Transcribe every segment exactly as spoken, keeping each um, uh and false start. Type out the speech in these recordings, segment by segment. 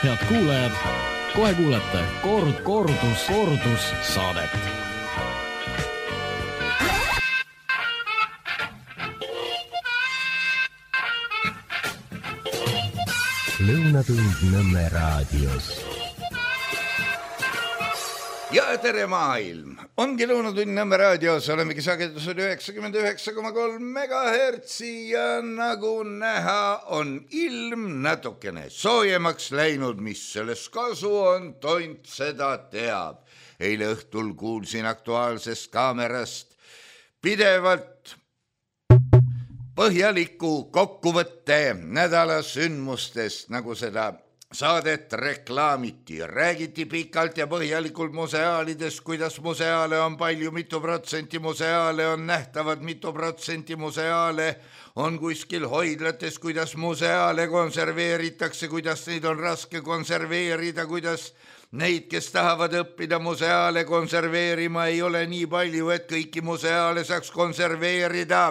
Head kuulajad, kohe kuulete kord, kordus, kordus saadet. Lõunatund Nõmme raadios. Ja tere maailm! Ongi Lõunatund Nõmme raadios, olemegi sagedusel üheksakümmend üheksa koma kolm megahertsi ja nagu näha on ilm natukene soojemaks läinud, mis selles kasu on, tont seda teab. Eile õhtul kuulsin Aktuaalsest kaamerast pidevalt põhjaliku kokkuvõtte nädala sündmustest, nagu seda saadet reklaamiti. Räägiti pikalt ja põhjalikult museaalidest, kuidas museaale on palju, mitu protsenti museaale on nähtavad, mitu protsenti museaale on kuskil hoidlates, kuidas museaale konserveeritakse, kuidas neid on raske konserveerida, kuidas neid, kes tahavad õppida museaale konserveerima, ei ole nii palju, et kõiki museaale saaks konserveerida.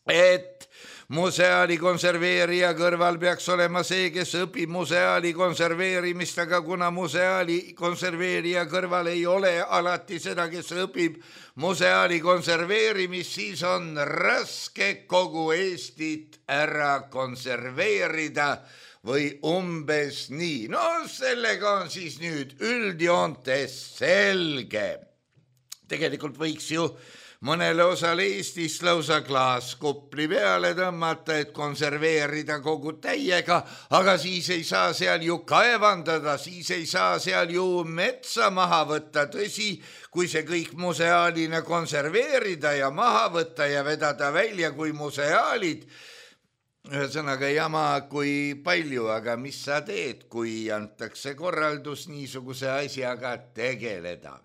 Et museaali konserveerija kõrval peaks olema see, kes õpib museaali konserveerimist, aga kuna museaali konserveerija kõrval ei ole alati seda, kes õpib museaali konserveerimist, siis on raske kogu Eestit ära konserveerida või umbes nii. No sellega on siis nüüd üldjoontes selge. Tegelikult võiks ju mõnele osale Eestist lausa klaaskupli peale tõmmata, et konserveerida kogu täiega, aga siis ei saa seal ju kaevandada, siis ei saa seal ju metsa maha võtta. Tõsi, kui see kõik museaalina konserveerida ja maha võtta ja vedada välja kui museaalid, ühesõnaga jama kui palju, aga mis sa teed, kui antakse korraldus niisuguse asjaga tegeleda?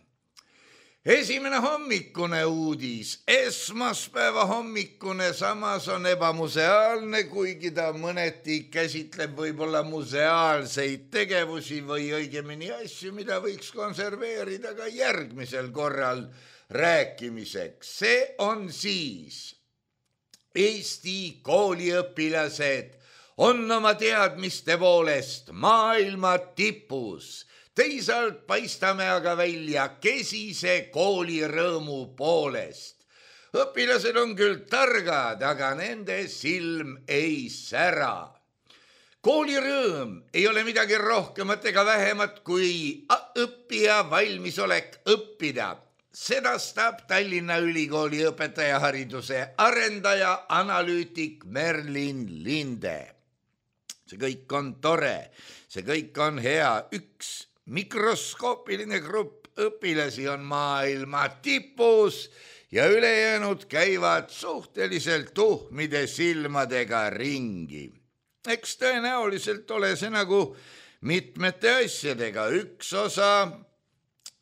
Esimene hommikune uudis, esmaspäeva hommikune, samas on ebamuseaalne, kuigi ta mõneti käsitleb võib-olla museaalseid tegevusi või õigemini asju, mida võiks konserveerida ka järgmisel korral rääkimiseks. See on siis Eesti kooliõpilased on oma teadmiste poolest maailma tipus. Teisalt paistame aga välja kesise koolirõõmu poolest. Õpilased on küll targad, aga nende silm ei sära. Koolirõõm ei ole midagi rohkemat ega vähemat kui õppija valmisolek õppida. Sedastab Tallinna Ülikooli õpetajahariduse arendaja analüütik Merlin Linde. See kõik on tore, see kõik on hea. Üks mikroskoopiline grupp õpilasi on maailma tipus ja ülejäänud käivad suhteliselt tuhmide silmadega ringi. Eks tõenäoliselt ole see nagu mitmete asjadega. Üks osa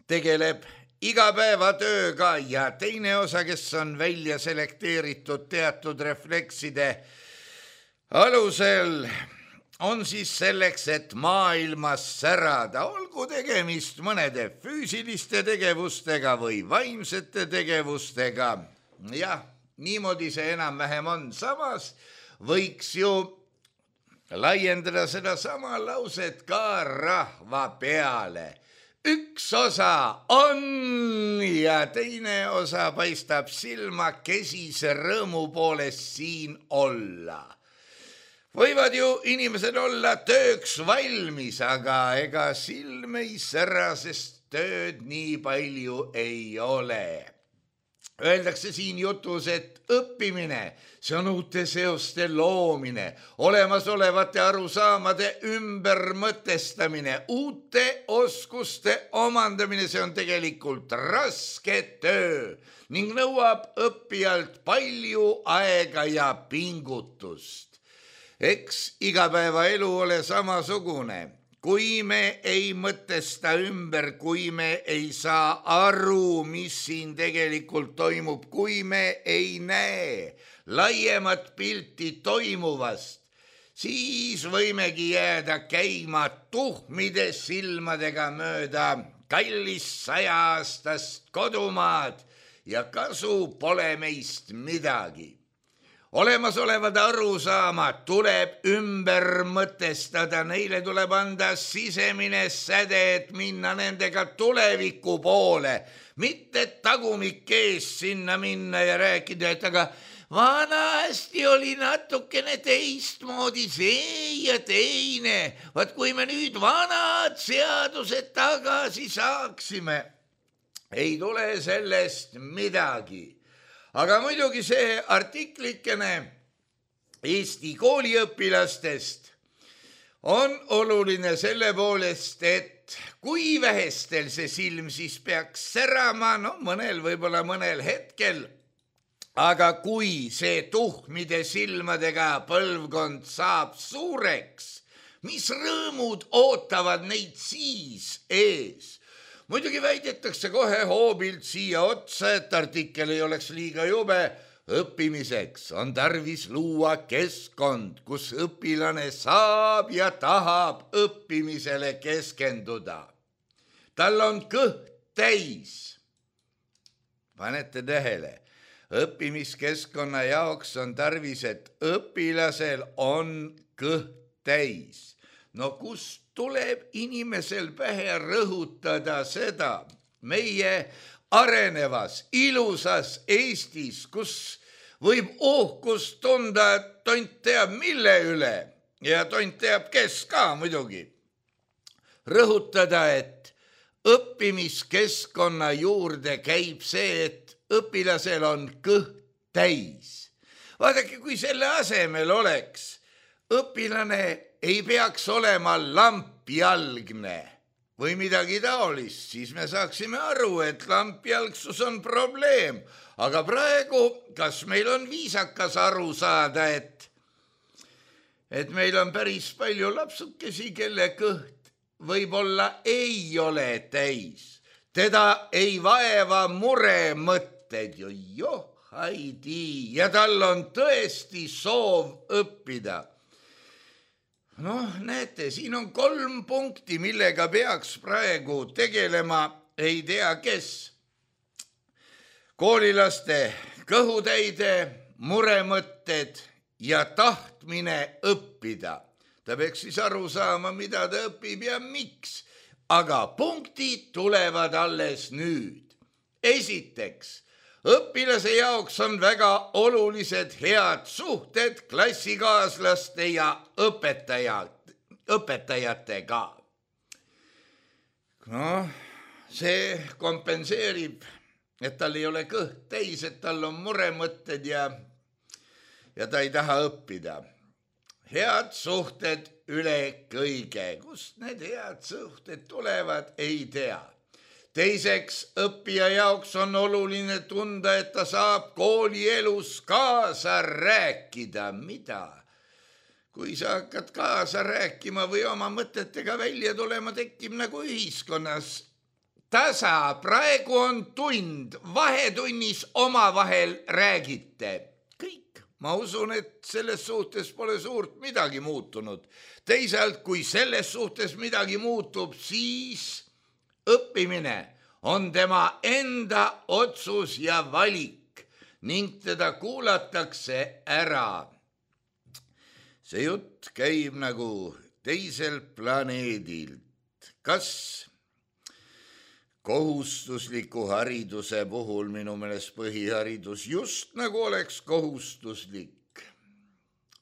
tegeleb igapäevatööga ja teine osa, kes on välja selekteeritud teatud reflekside alusel, on siis selleks, et maailmas särada, olgu tegemist mõnede füüsiliste tegevustega või vaimsete tegevustega. Jah, niimoodi see enam-vähem on. Samas võiks ju laiendada seda sama lauset ka rahva peale. Üks osa on ja teine osa paistab silma kesise rõõmu poolest siin olla. Võivad ju inimesed olla tööks valmis, aga ega silm ei sära, sest tööd nii palju ei ole. Öeldakse siin jutus, et õppimine, see on uute seoste loomine, olemasolevate arusaamade ümbermõtestamine, uute oskuste omandamine, see on tegelikult raske töö ning nõuab õppijalt palju aega ja pingutust. Eks igapäevaelu ole samasugune. Kui me ei mõtesta ümber, kui me ei saa aru, mis siin tegelikult toimub, kui me ei näe laiemat pilti toimuvast, siis võimegi jääda käima tuhmide silmadega mööda kallist sajaaastast kodumaad ja kasu pole meist midagi. olemasolevad arusaamad tuleb ümber mõtestada, neile tuleb anda sisemine säde, et minna nendega tuleviku poole, mitte tagumik ees sinna minna ja rääkida, et aga vanasti oli natukene teistmoodi see ja teine. Vaat kui me nüüd vanad seadused tagasi saaksime, ei tule sellest midagi. Aga muidugi see artiklikene Eesti kooliõpilastest on oluline selle poolest, et kui vähestel see silm siis peaks särama, no mõnel võib-olla mõnel hetkel, aga kui see tuhmide silmadega põlvkond saab suureks, mis rõõmud ootavad neid siis ees? Muidugi väidetakse kohe hoobilt siia otsa, et artikkel ei oleks liiga jube. Õppimiseks on tarvis luua keskkond, kus õpilane saab ja tahab õppimisele keskenduda. Tal on kõht täis. Panete tähele, õppimiskeskkonna jaoks on tarvis, et õpilasel on kõht täis. No kust tuleb inimesel pähe rõhutada seda meie arenevas, ilusas Eestis, kus võib uhkust tunda, et tont teab mille üle ja tont teab kes ka muidugi. Rõhutada, et õppimiskeskkonna juurde käib see, et õpilasel on kõht täis. Vaadake, kui selle asemel oleks õpilane ei peaks olema lampjalgne või midagi taolist, siis me saaksime aru, et lampjalgsus on probleem. Aga praegu, kas meil on viisakas aru saada, et, et meil on päris palju lapsukesi, kelle kõht võib-olla ei ole täis. Teda ei vaeva mure mõtted, jo joh, haidi, ja tal on tõesti soov õppida. Noh, näete, siin on kolm punkti, millega peaks praegu tegelema, ei tea kes. Koolilaste kõhutäide, muremõtted ja tahtmine õppida. Ta peaks siis aru saama, mida ta õpib ja miks. Aga punktid tulevad alles nüüd. Esiteks, õpilase jaoks on väga olulised head suhted klassikaaslaste ja õpetajad, õpetajatega. Noh, see kompenseerib, et tal ei ole kõht täis, et tal on muremõtted ja, ja ta ei taha õppida. Head suhted üle kõige. Kust need head suhted tulevad, ei tea. Teiseks, õppija jaoks on oluline tunda, et ta saab koolielus kaasa rääkida. Mida? Kui sa hakkad kaasa rääkima või oma mõtetega välja tulema, tekib nagu ühiskonnas tasa. Praegu on tund, vahetunnis omavahel räägite. Kõik. Ma usun, et selles suhtes pole suurt midagi muutunud. Teisalt, kui selles suhtes midagi muutub, siis õppimine on tema enda otsus ja valik ning teda kuulatakse ära. See jutt käib nagu teisel planeedilt. Kas kohustusliku hariduse puhul minu meelest põhiharidus just nagu oleks kohustuslik?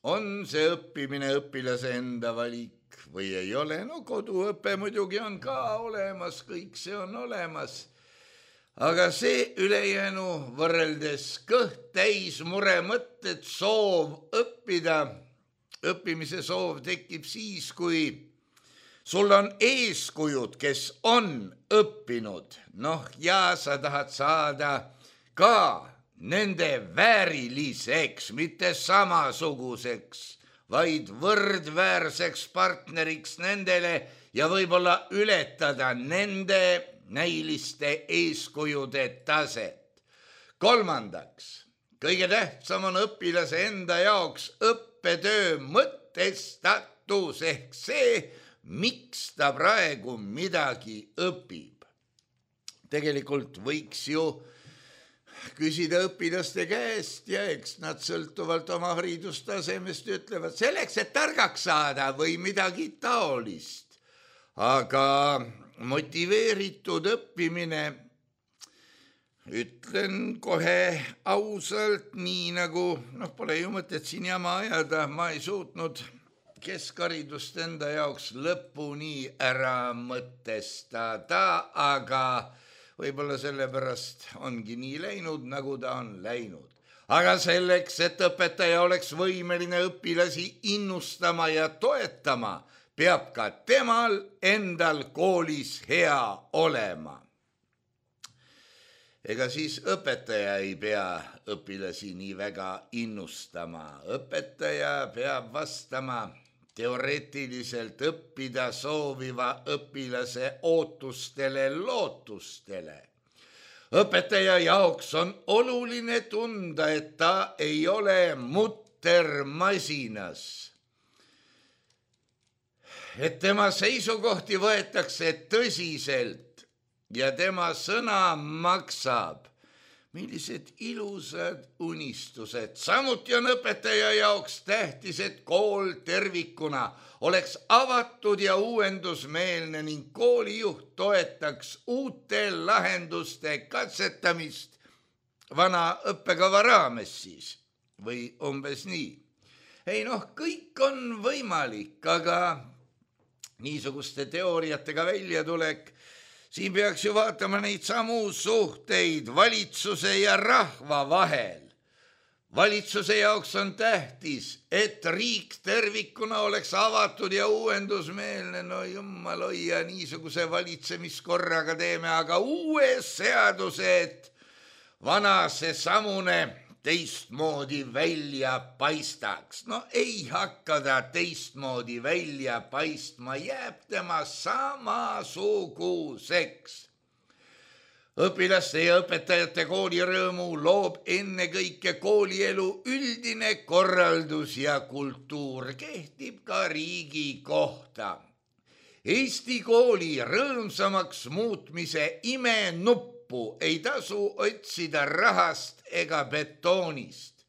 On see õppimine õpilase enda valik või ei ole? No koduõpe muidugi on ka olemas, kõik see on olemas. Aga see ülejäänu võrreldes kõht täis muremõtted, soov õppida, õppimise soov tekib siis, kui sul on eeskujud, kes on õppinud. Noh, ja sa tahad saada ka nende vääriliseks, mitte samasuguseks, vaid võrdväärseks partneriks nendele ja võib-olla ületada nende näiliste eeskujude taset. Kolmandaks, kõige tähtsam on õpilase enda jaoks õppetöö mõtestatus ehk see, miks ta praegu midagi õpib. Tegelikult võiks ju küsida õpilaste käest ja eks nad sõltuvalt oma haridustasemest ütlevad selleks, et targaks saada või midagi taolist. Aga motiveeritud õppimine, ütlen kohe ausalt, nii nagu, noh, pole ju mõtet siin jama ajada, ma ei suutnud keskharidust enda jaoks lõpuni ära mõtestada, aga võib-olla sellepärast ongi nii läinud, nagu ta on läinud. Aga selleks, et õpetaja oleks võimeline õpilasi innustama ja toetama, peab ka temal endal koolis hea olema. Ega siis õpetaja ei pea õpilasi nii väga innustama. Õpetaja peab vastama teoreetiliselt õppida sooviva õpilase ootustele, lootustele. Õpetaja jaoks on oluline tunda, et ta ei ole muttermasinas. Et tema seisukohti võetakse tõsiselt ja tema sõna maksab. Millised ilusad unistused. Samuti on õpetaja jaoks tähtis, et kool tervikuna oleks avatud ja uuendusmeelne ning koolijuht toetaks uute lahenduste katsetamist vana õppekava raames siis. Või umbes nii. Ei noh, kõik on võimalik, aga niisuguste teooriatega välja tulek, siin peaks ju vaatama neid samu suhteid valitsuse ja rahva vahel. Valitsuse jaoks on tähtis, et riik tervikuna oleks avatud ja uuendusmeelne. No jumal hoia, niisuguse valitsemiskorraga teeme, aga uue seaduse, et vana see samune teistmoodi välja paistaks. No ei hakka ta teistmoodi välja paistma, jääb tema samasuguseks. Õpilaste ja õpetajate koolirõõmu loob ennekõike koolielu üldine korraldus ja kultuur, kehtib ka riigi kohta. Eesti kooli rõõmsamaks muutmise imenuppu ei tasu otsida rahast ega betoonist.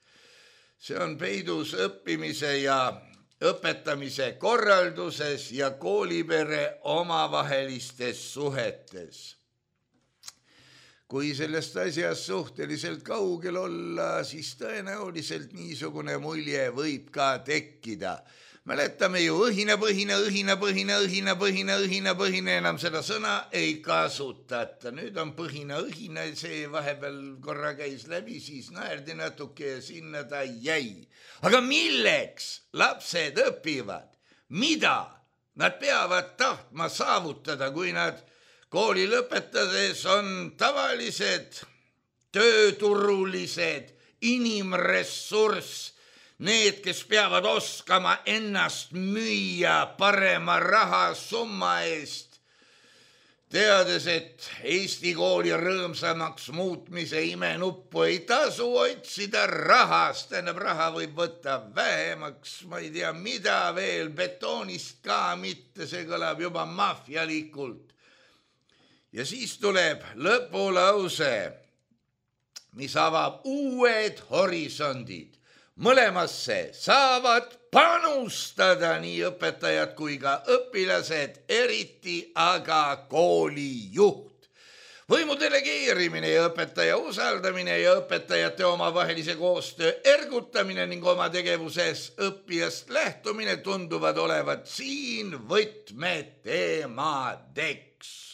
See on peidus õppimise ja õpetamise korralduses ja koolipere omavahelistes suhetes. Kui sellest asjast suhteliselt kaugel olla, siis tõenäoliselt niisugune mulje võib ka tekkida. Mäletame ju õhinapõhine, õhinapõhine, õhinapõhine, õhinapõhine, enam seda sõna ei kasutata. Nüüd on põhine õhina, see vahepeal korra käis läbi, siis naerdi natuke ja sinna ta jäi. Aga milleks lapsed õpivad? Mida nad peavad tahtma saavutada, kui nad kooli lõpetades on tavalised, tööturulised, inimressurss, need, kes peavad oskama ennast müüa parema rahasumma eest, teades, et Eesti kooli rõõmsamaks muutmise imenuppu ei tasu otsida rahast, tähendab raha võib võtta vähemaks, ma ei tea, mida veel, betoonist ka mitte, see kõlab juba mafialikult. Ja siis tuleb lõpulause, mis avab uued horisondid. Mõlemasse saavad panustada nii õpetajad kui ka õpilased, eriti aga koolijuht. Võimu delegeerimine ja õpetaja usaldamine ja õpetajate omavahelise koostöö ergutamine ning oma tegevuses õppijast lähtumine tunduvad olevat siin võtmeteemadeks.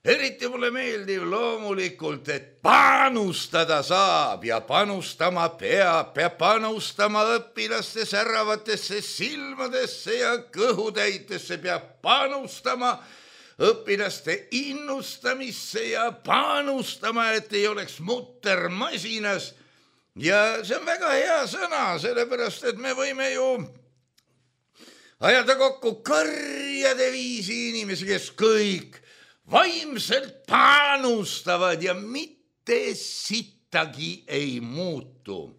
Eriti mulle meeldib loomulikult, et panustada saab ja panustama peab, peab panustama õpilaste säravatesse silmadesse ja kõhutäitesse, peab panustama õpilaste innustamisse ja panustama, et ei oleks muttermasinas. Ja see on väga hea sõna, sellepärast, et me võime ju ajada kokku karjade viisi inimesi, kes kõik vaimselt panustavad ja mitte sittagi ei muutu.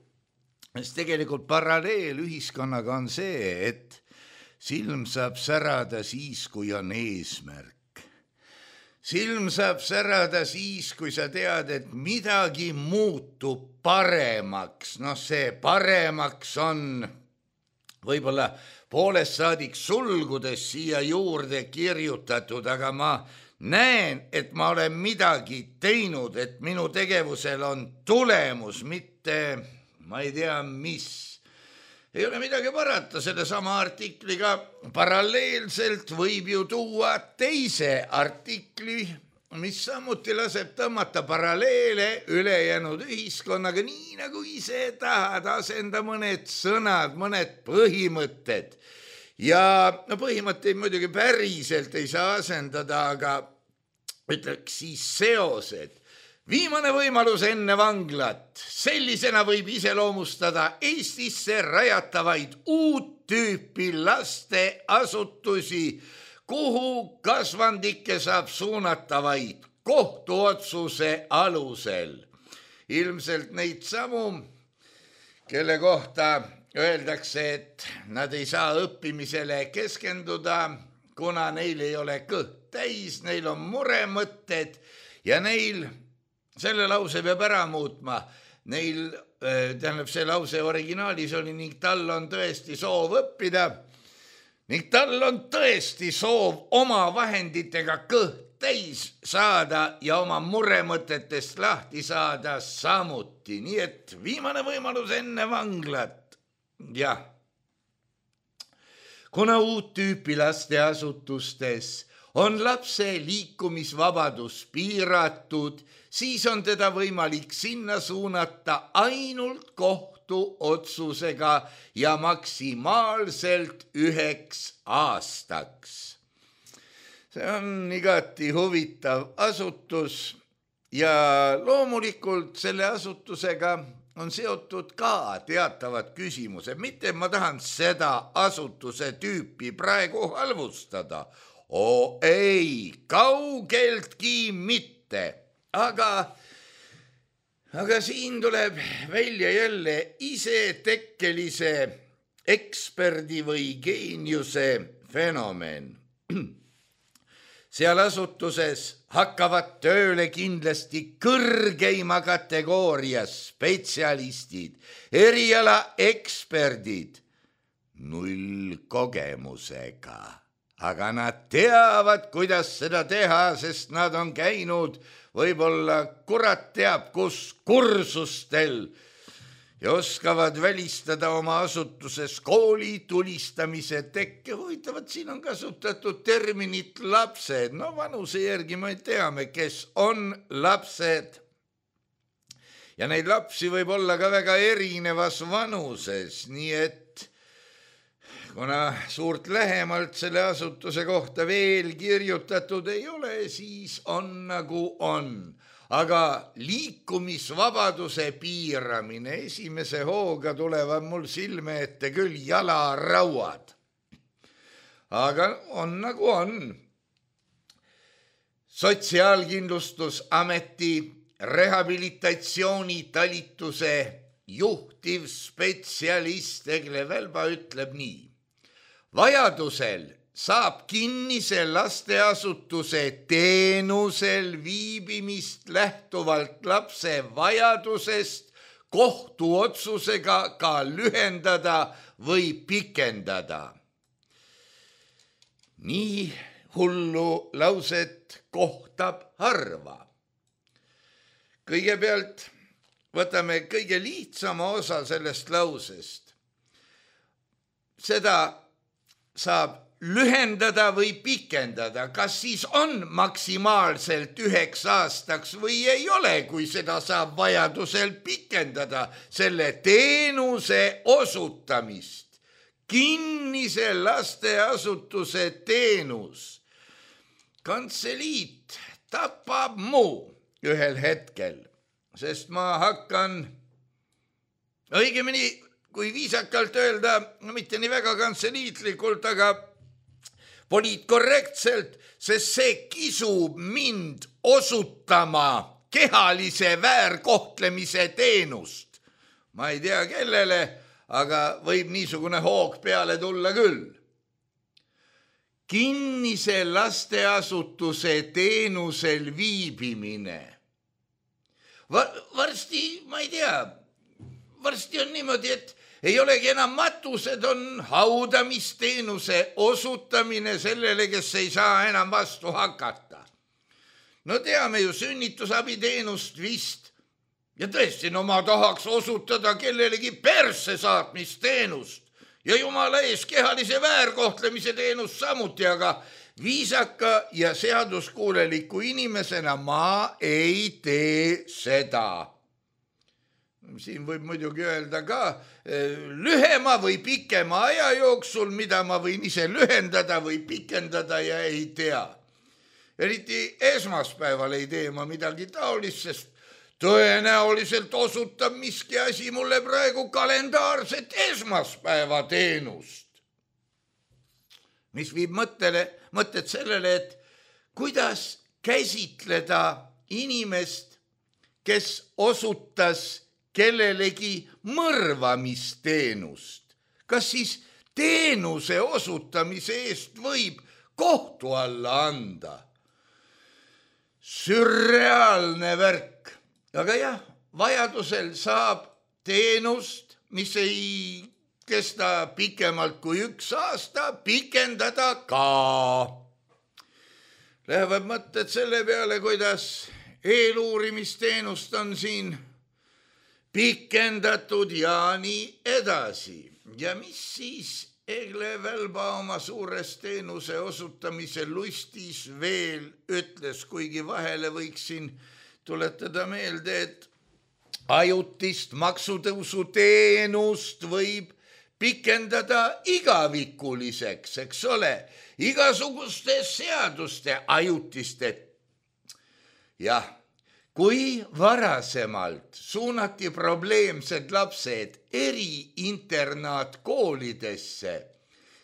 Sest tegelikult paralleel ühiskonnaga on see, et silm saab särada siis, kui on eesmärk. silm saab särada siis, kui sa tead, et midagi muutub paremaks. Noh, see paremaks on võib-olla poolest saadik sulgudes siia juurde kirjutatud, aga ma näen, et ma olen midagi teinud, et minu tegevusel on tulemus, mitte ma ei tea, mis. Ei ole midagi parata, selle sama artikliga paralleelselt võib ju tuua teise artikli, mis samuti laseb tõmmata paralleele ülejäänud ühiskonnaga, nii nagu ise tahad, asenda mõned sõnad, mõned põhimõtted. Ja no põhimõtteid muidugi päriselt ei saa asendada, aga ütleks siis seosed. Viimane võimalus enne vanglat. Sellisena võib iseloomustada Eestisse rajatavaid uut tüüpi lasteasutusi, kuhu kasvandikke saab suunata vaid kohtuotsuse alusel. Ilmselt neid samu, kelle kohta öeldakse, et nad ei saa õppimisele keskenduda, kuna neil ei ole kõht täis, neil on muremõtted ja neil selle lause peab ära muutma. Neil, tähendab, see lause originaalis oli ning tal on tõesti soov õppida, ning tal on tõesti soov oma vahenditega kõht täis saada ja oma muremõtetest lahti saada samuti. Nii et viimane võimalus enne vanglat. Jah. Kuna uut tüüpi lasteasutustes on lapse liikumisvabadus piiratud, siis on teda võimalik sinna suunata ainult kohtuotsusega ja maksimaalselt üheks aastaks. See on igati huvitav asutus ja loomulikult selle asutusega on seotud ka teatavad küsimused. Mitte ma tahan seda asutuse tüüpi praegu halvustada. Oo ei, kaugeltki mitte. Aga, aga siin tuleb välja jälle isetekkelise eksperdi või geeniuse fenomen. Seal asutuses hakkavad tööle kindlasti kõrgeima kategooria spetsialistid, eriala eksperdid, null kogemusega. Aga nad teavad, kuidas seda teha, sest nad on käinud võib-olla kurat teab kus kursustel ja oskavad välistada oma asutuses kooli tulistamise tekke. Huvitavad, siin on kasutatud terminit lapsed. No vanuse järgi me teame, kes on lapsed. Ja neid lapsi võib olla ka väga erinevas vanuses, nii et kuna suurt lähemalt selle asutuse kohta veel kirjutatud ei ole, siis on nagu on. Aga liikumisvabaduse piiramine esimese hooga tulevad mul silme ette küll jalarauad. Aga on nagu on. Sotsiaalkindlustusameti rehabilitatsioonitalituse juhtiv spetsialist Egle Välba ütleb nii. Vajadusel saab kinnise lasteasutuse teenusel viibimist lähtuvalt lapse vajadusest kohtuotsusega ka lühendada või pikendada. Nii hullu lauset kohtab harva. Kõigepealt võtame kõige lihtsama osa sellest lausest. Seda saab lühendada või pikendada, kas siis on maksimaalselt üheks aastaks või ei ole, kui seda saab vajadusel pikendada selle teenuse osutamist. Kinnise lasteasutuse teenus. Kantseliit tapab muu ühel hetkel, sest ma hakkan õigemini, kui viisakalt öelda, no mitte nii väga kantseliitlikult, aga poliitkorrektselt, sest see kisub mind osutama kehalise väärkohtlemise teenust. Ma ei tea kellele, aga võib niisugune hoog peale tulla küll. kinnise lasteasutuse teenusel viibimine. Varsti, ma ei tea, varsti on niimoodi, et ei olegi enam matused, on haudamisteenuse osutamine sellele, kes ei saa enam vastu hakata. No teame ju sünnitusabiteenust vist. Ja tõesti, no ma tahaks osutada kellelegi persse saatmisteenust ja jumala ees kehalise väärkohtlemise teenust samuti, aga viisaka ja seaduskuuleliku inimesena ma ei tee seda. Siin võib muidugi öelda ka lühema või pikema aja jooksul, mida ma võin ise lühendada või pikendada ja ei tea. Eriti esmaspäeval ei tee ma midagi taolist, sest tõenäoliselt osutab miski asi mulle praegu kalendaarset esmaspäeva teenust. Mis viib mõttele, mõtted sellele, et kuidas käsitleda inimest, kes osutas kellelegi mõrvamisteenust. Kas siis teenuse osutamise eest võib kohtu alla anda? Sürreaalne värk. Aga jah, vajadusel saab teenust, mis ei kesta pikemalt kui üks aasta, pikendada ka. Lähevad mõtted selle peale, kuidas eeluurimisteenust on siin pikendatud ja nii edasi. Ja mis siis Egle Välba oma suures teenuse osutamise lustis veel ütles, kuigi vahele võiksin tuletada meelde, et ajutist maksutõusu teenust võib pikendada igavikuliseks, eks ole, igasuguste seaduste ajutiste. Jah, kui varasemalt suunati probleemsed lapsed eriinternaatkoolidesse,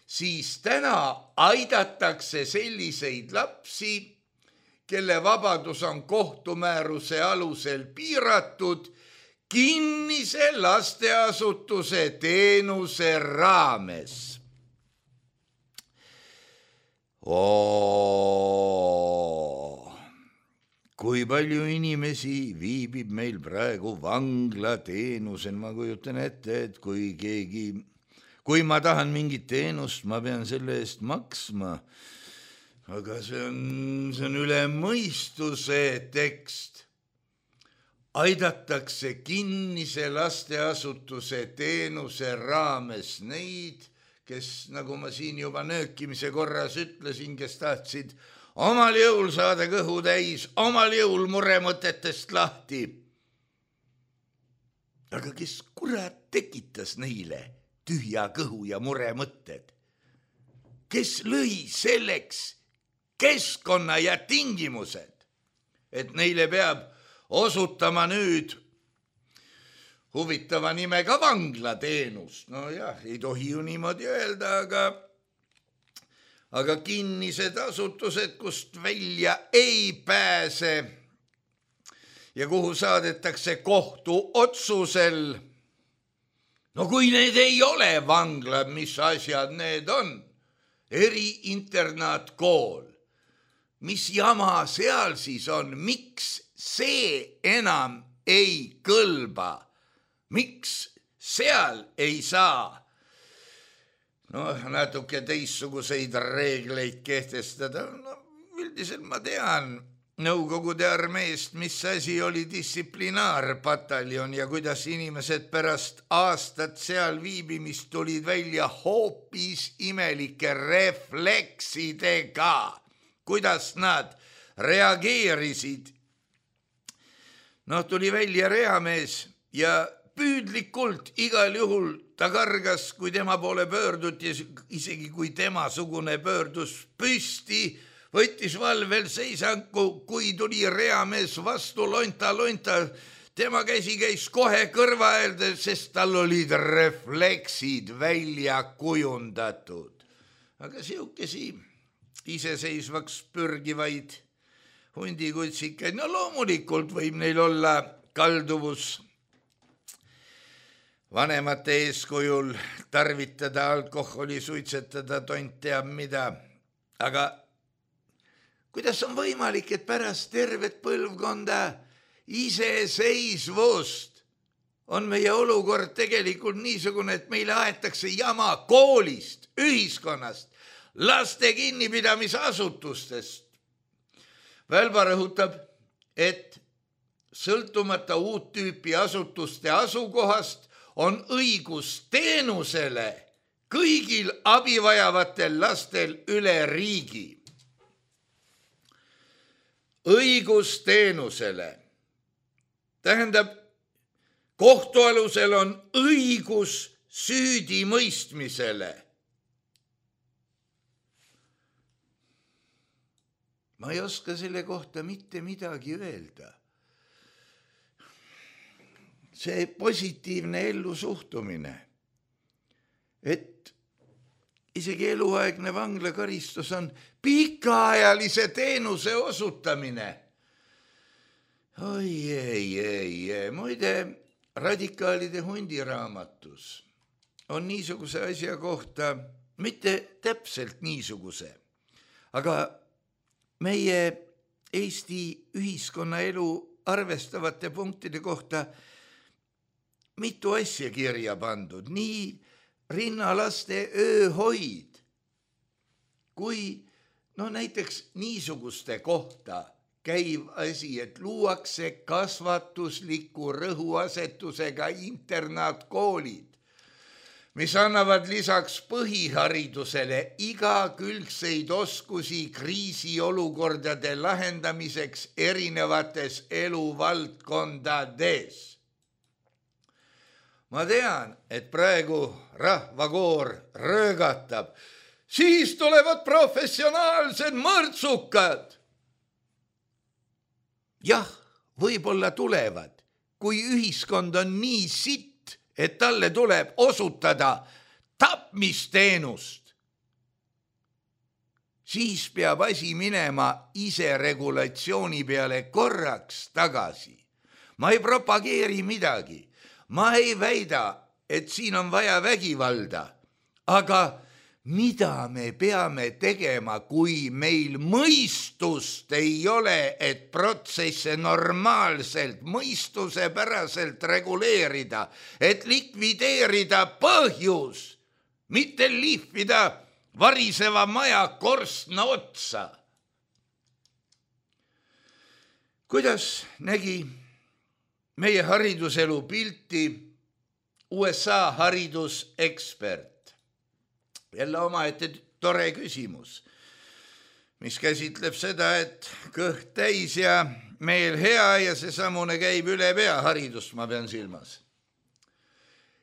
siis täna aidatakse selliseid lapsi, kelle vabadus on kohtumääruse alusel piiratud, kinnise lasteasutuse teenuse raames. Oo, kui palju inimesi viibib meil praegu vanglateenusel, ma kujutan ette, et kui keegi, kui ma tahan mingit teenust, ma pean selle eest maksma, aga see on, see on üle mõistuse tekst. Aidatakse kinnise lasteasutuse teenuse raames neid, kes, nagu ma siin juba nöökimise korras ütlesin, kes tahtsid omal jõul saada kõhu täis, omal jõul muremõtetest lahti. Aga kes kurat tekitas neile tühja kõhu ja muremõtted? Kes lõi selleks keskkonna ja tingimused, et neile peab osutama nüüd huvitava nimega vanglateenust? No jah, ei tohi ju niimoodi öelda, aga aga kinnised asutused, kust välja ei pääse ja kuhu saadetakse kohtu otsusel. No kui need ei ole vanglad, mis asjad need on? Eriinternaatkool. Mis jama seal siis on? Miks see enam ei kõlba? Miks seal ei saa no natuke teistsuguseid reegleid kehtestada? No, üldiselt ma tean Nõukogude armeest, mis asi oli distsiplinaarpataljon ja kuidas inimesed pärast aastat seal viibimist tulid välja hoopis imelike refleksidega, kuidas nad reageerisid. No tuli välja reamees ja püüdlikult igal juhul ta kargas, kui tema poole pöörduti, isegi kui tema sugune pöördus püsti, võttis valvel seisangu, kui tuli reamees vastu lonta, lonta, tema käsi käis kohe kõrva äärde, sest tal olid refleksid välja kujundatud. Aga siukesi iseseisvaks pürgivaid hundikutsikaid, no loomulikult võib neil olla kalduvus vanemate eeskujul tarvitada alkoholi, suitsetada, tont teab mida. aga kuidas on võimalik, et pärast tervet põlvkonda iseseisvust on meie olukord tegelikult niisugune, et meile aetakse jama koolist, ühiskonnast, laste kinnipidamisasutustest. Välba rõhutab, et sõltumata uut tüüpi asutuste asukohast on õigus teenusele kõigil abivajavatel lastel üle riigi. Õigus teenusele tähendab, kohtualusel on õigus süüdi mõistmisele. Ma ei oska selle kohta mitte midagi öelda. See positiivne ellu suhtumine, et isegi eluaegne vanglakaristus on pikaajalise teenuse osutamine. Oi, ei, ei, ei. Muide, radikaalide hundiraamatus on niisuguse asja kohta, mitte täpselt niisuguse, aga meie Eesti ühiskonnaelu arvestavate punktide kohta mitu asja kirja pandud, nii rinnalaste ööhoid, kui no näiteks niisuguste kohta käiv asi, et luuakse kasvatusliku rõhuasetusega internaatkoolid, mis annavad lisaks põhiharidusele igakülgseid oskusi kriisiolukordade lahendamiseks erinevates eluvaldkondades. Ma tean, et praegu rahvakoor röögatab, siis tulevad professionaalsed mõrtsukad. Jah, võib-olla tulevad, kui ühiskond on nii sitt, et talle tuleb osutada tapmisteenust. Siis peab asi minema iseregulatsiooni peale korraks tagasi. Ma ei propageeri midagi. Ma ei väida, et siin on vaja vägivalda, aga mida me peame tegema, kui meil mõistust ei ole, et protsesse normaalselt, mõistusepäraselt reguleerida, et likvideerida põhjus, mitte lihvida variseva maja korstna otsa. Kuidas nägi meie hariduselu pilti U S A haridusekspert? Jälle omaette tore küsimus, mis käsitleb seda, et kõht täis ja meel hea ja see samune käib üle pea haridust, ma pean silmas.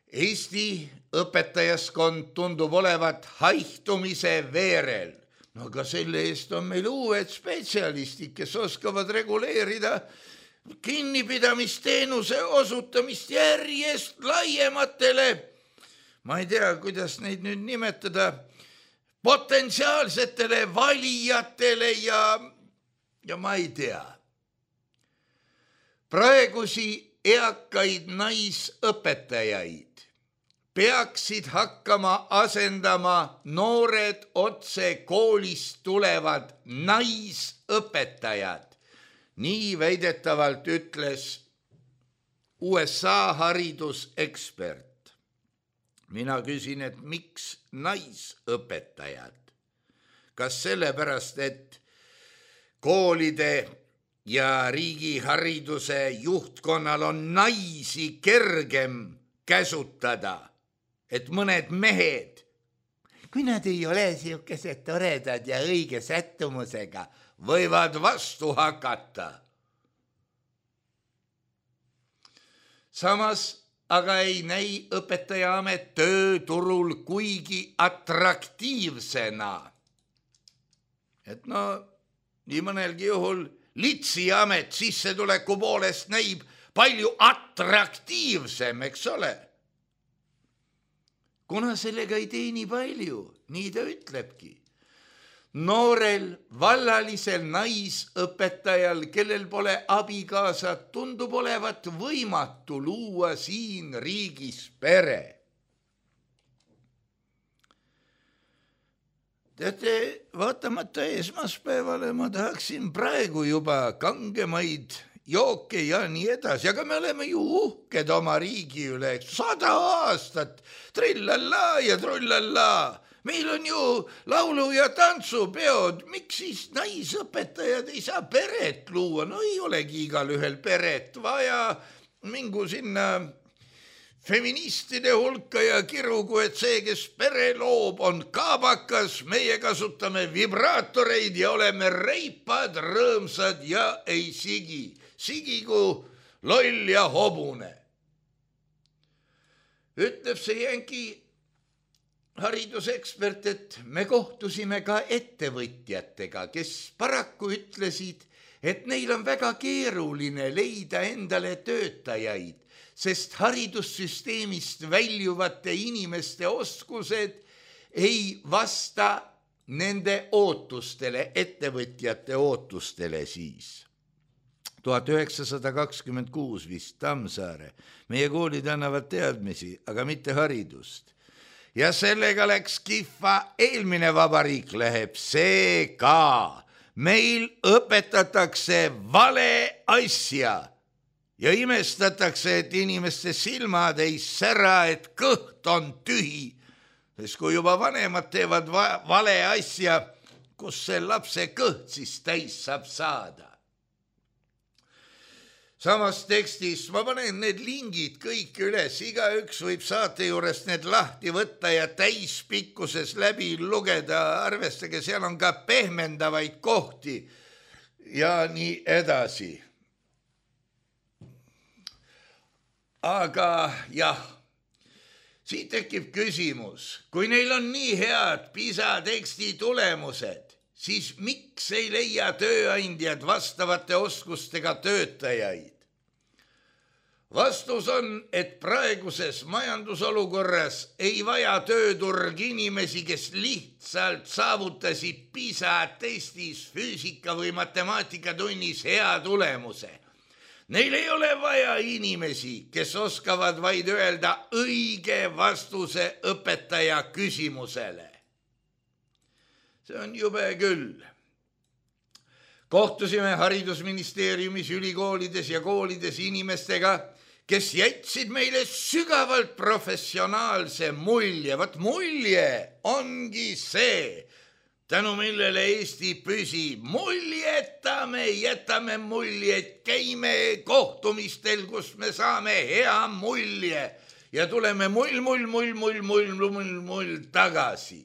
Eesti õpetajaskond tundub olevat haihtumise veerel. No aga selle eest on meil uued spetsialistid, kes oskavad reguleerida kinnipidamisteenuse osutamist järjest laiematele, ma ei tea, kuidas neid nüüd nimetada, potentsiaalsetele valijatele ja, ja ma ei tea. Praegusi eakaid naisõpetajaid peaksid hakkama asendama noored otse koolist tulevad naisõpetajad. Nii väidetavalt ütles U S A haridusekspert. Mina küsin, et miks naisõpetajad? Kas sellepärast, et koolide ja riigihariduse juhtkonnal on naisi kergem käsutada, et mõned mehed, kui nad ei ole siukesed toredad ja õige sättumusega, võivad vastu hakata. Samas aga ei näi õpetajaamet tööturul kuigi atraktiivsena. Et no, nii mõnelgi juhul litsiamet sissetuleku poolest näib palju atraktiivsem, eks ole. Kuna sellega ei teeni palju, nii ta ütlebki. Noorel vallalisel naisõpetajal, kellel pole abikaasat, tundub olevat võimatu luua siin riigis pere. Teate, vaatamata esmaspäevale ma tahaksin praegu juba kangemaid jooke ja nii edasi, aga me oleme ju uhked oma riigi üle, sada aastat, trillallaa ja trullallaa. Meil on ju laulu- ja tantsupeod, miks siis naisõpetajad ei saa peret luua? No ei olegi igal ühel peret vaja, mingu sinna feministide hulka ja kirugu, et see, kes pere loob, on kaabakas, meie kasutame vibraatoreid ja oleme reipad, rõõmsad ja ei sigi. Sigigu loll ja hobune. Ütleb see jänki haridusekspert, et me kohtusime ka ettevõtjatega, kes paraku ütlesid, et neil on väga keeruline leida endale töötajaid, sest haridussüsteemist väljuvate inimeste oskused ei vasta nende ootustele, ettevõtjate ootustele siis. tuhat üheksasada kakskümmend kuus vist Tammsaare. Meie koolid annavad teadmisi, aga mitte haridust. Ja sellega läks kihva, eelmine vabariik läheb see ka. Meil õpetatakse vale asja ja imestatakse, et inimeste silmad ei sära, et kõht on tühi. Sest kui juba vanemad teevad va- vale asja, kus see lapse kõht siis täis saab saada. Samas tekstis ma panen need lingid kõik üles, igaüks võib saate juures need lahti võtta ja täispikkuses läbi lugeda, arvestage, seal on ka pehmendavaid kohti ja nii edasi. Aga jah, siit tekib küsimus, kui neil on nii head PISA teksti tulemused, siis miks ei leia tööandjad vastavate oskustega töötajaid? Vastus on, et praeguses majandusolukorras ei vaja tööturg inimesi, kes lihtsalt saavutasid PISA testis füüsika või matemaatikatunnis hea tulemuse. Neil ei ole vaja inimesi, kes oskavad vaid öelda õige vastuse õpetaja küsimusele. See on jube küll. Kohtusime haridusministeeriumis, ülikoolides ja koolides inimestega, kes jätsid meile sügavalt professionaalse mulje. Vat mulje ongi see, tänu millele Eesti püsib. Muljetame, jätame muljet, käime kohtumistel, kus me saame hea mulje ja tuleme mull, mull, mull, mull, mull, mull, mull tagasi.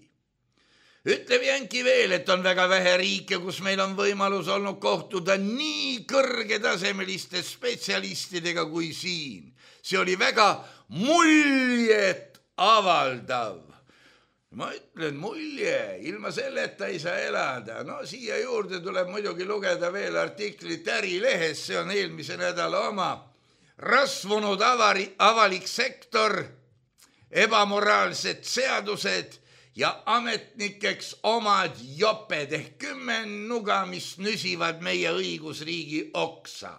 Ütleb jänki veel, et on väga vähe riike, kus meil on võimalus olnud kohtuda nii kõrgetasemeliste spetsialistidega kui siin. See oli väga muljet avaldav. Ma ütlen mulje, ilma selleta ei saa elada. No siia juurde tuleb muidugi lugeda veel artiklit Ärilehes, see on eelmise nädala oma. Rasvunud avari, avalik sektor, ebamoraalsed seadused ja ametnikeks omad joped ehk kümme nuga, mis nüsivad meie õigusriigi oksa.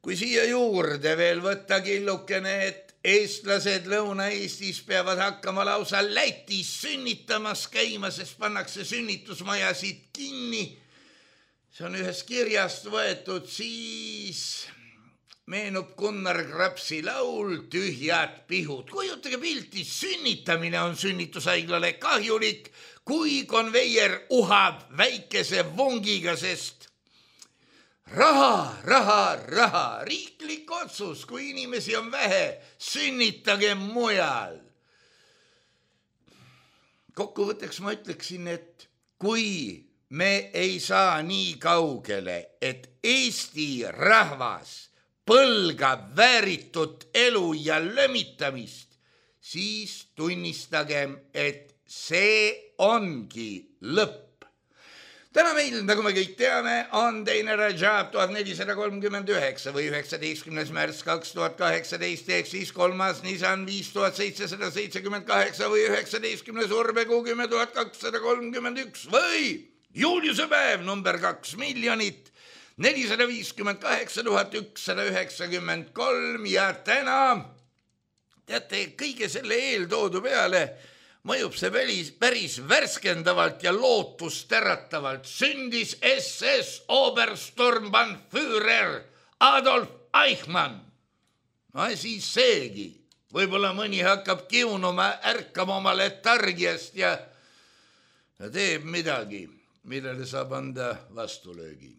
Kui siia juurde veel võtta killukene, et eestlased Lõuna-Eestis peavad hakkama lausa Lätis sünnitamas käima, sest pannakse sünnitusmajasid kinni, see on ühest kirjast võetud, siis meenub Gunnar Krapsi laul Tühjad pihud. Kujutage pilti, sünnitamine on sünnitushaiglale kahjulik, kui konveier uhab väikese vongiga, sest raha, raha, raha, riiklik otsus, kui inimesi on vähe, sünnitage mujal. Kokkuvõtteks ma ütleksin, et kui me ei saa nii kaugele, et Eesti rahvas põlgab vääritut elu ja lömitamist, siis tunnistagem, et see ongi lõpp. Täna meil, nagu me kõik teame, on teine Rajab tuhat nelisada kolmkümmend üheksa või üheksateistkümnes märts kaks tuhat kaheksateist, ehk siis kolmas Nisan viis tuhat seitsesada seitsekümmend kaheksa või üheksateistkümnes Urbekuu kümme tuhat kakssada kolmkümmend üks või Juliuse päev number kaks miljonit nelisada viiskümmend kaheksa tuhat ükssada üheksakümmend kolm ja täna, teate, kõige selle eeltoodu peale mõjub see päris, päris värskendavalt ja lootusteratavalt. Sündis S S Obersturmbannführer Adolf Eichmann. No siis seegi. Võib-olla mõni hakkab kiunuma, ärkama oma letargiast ja, ja teeb midagi, millele saab anda vastulöögi.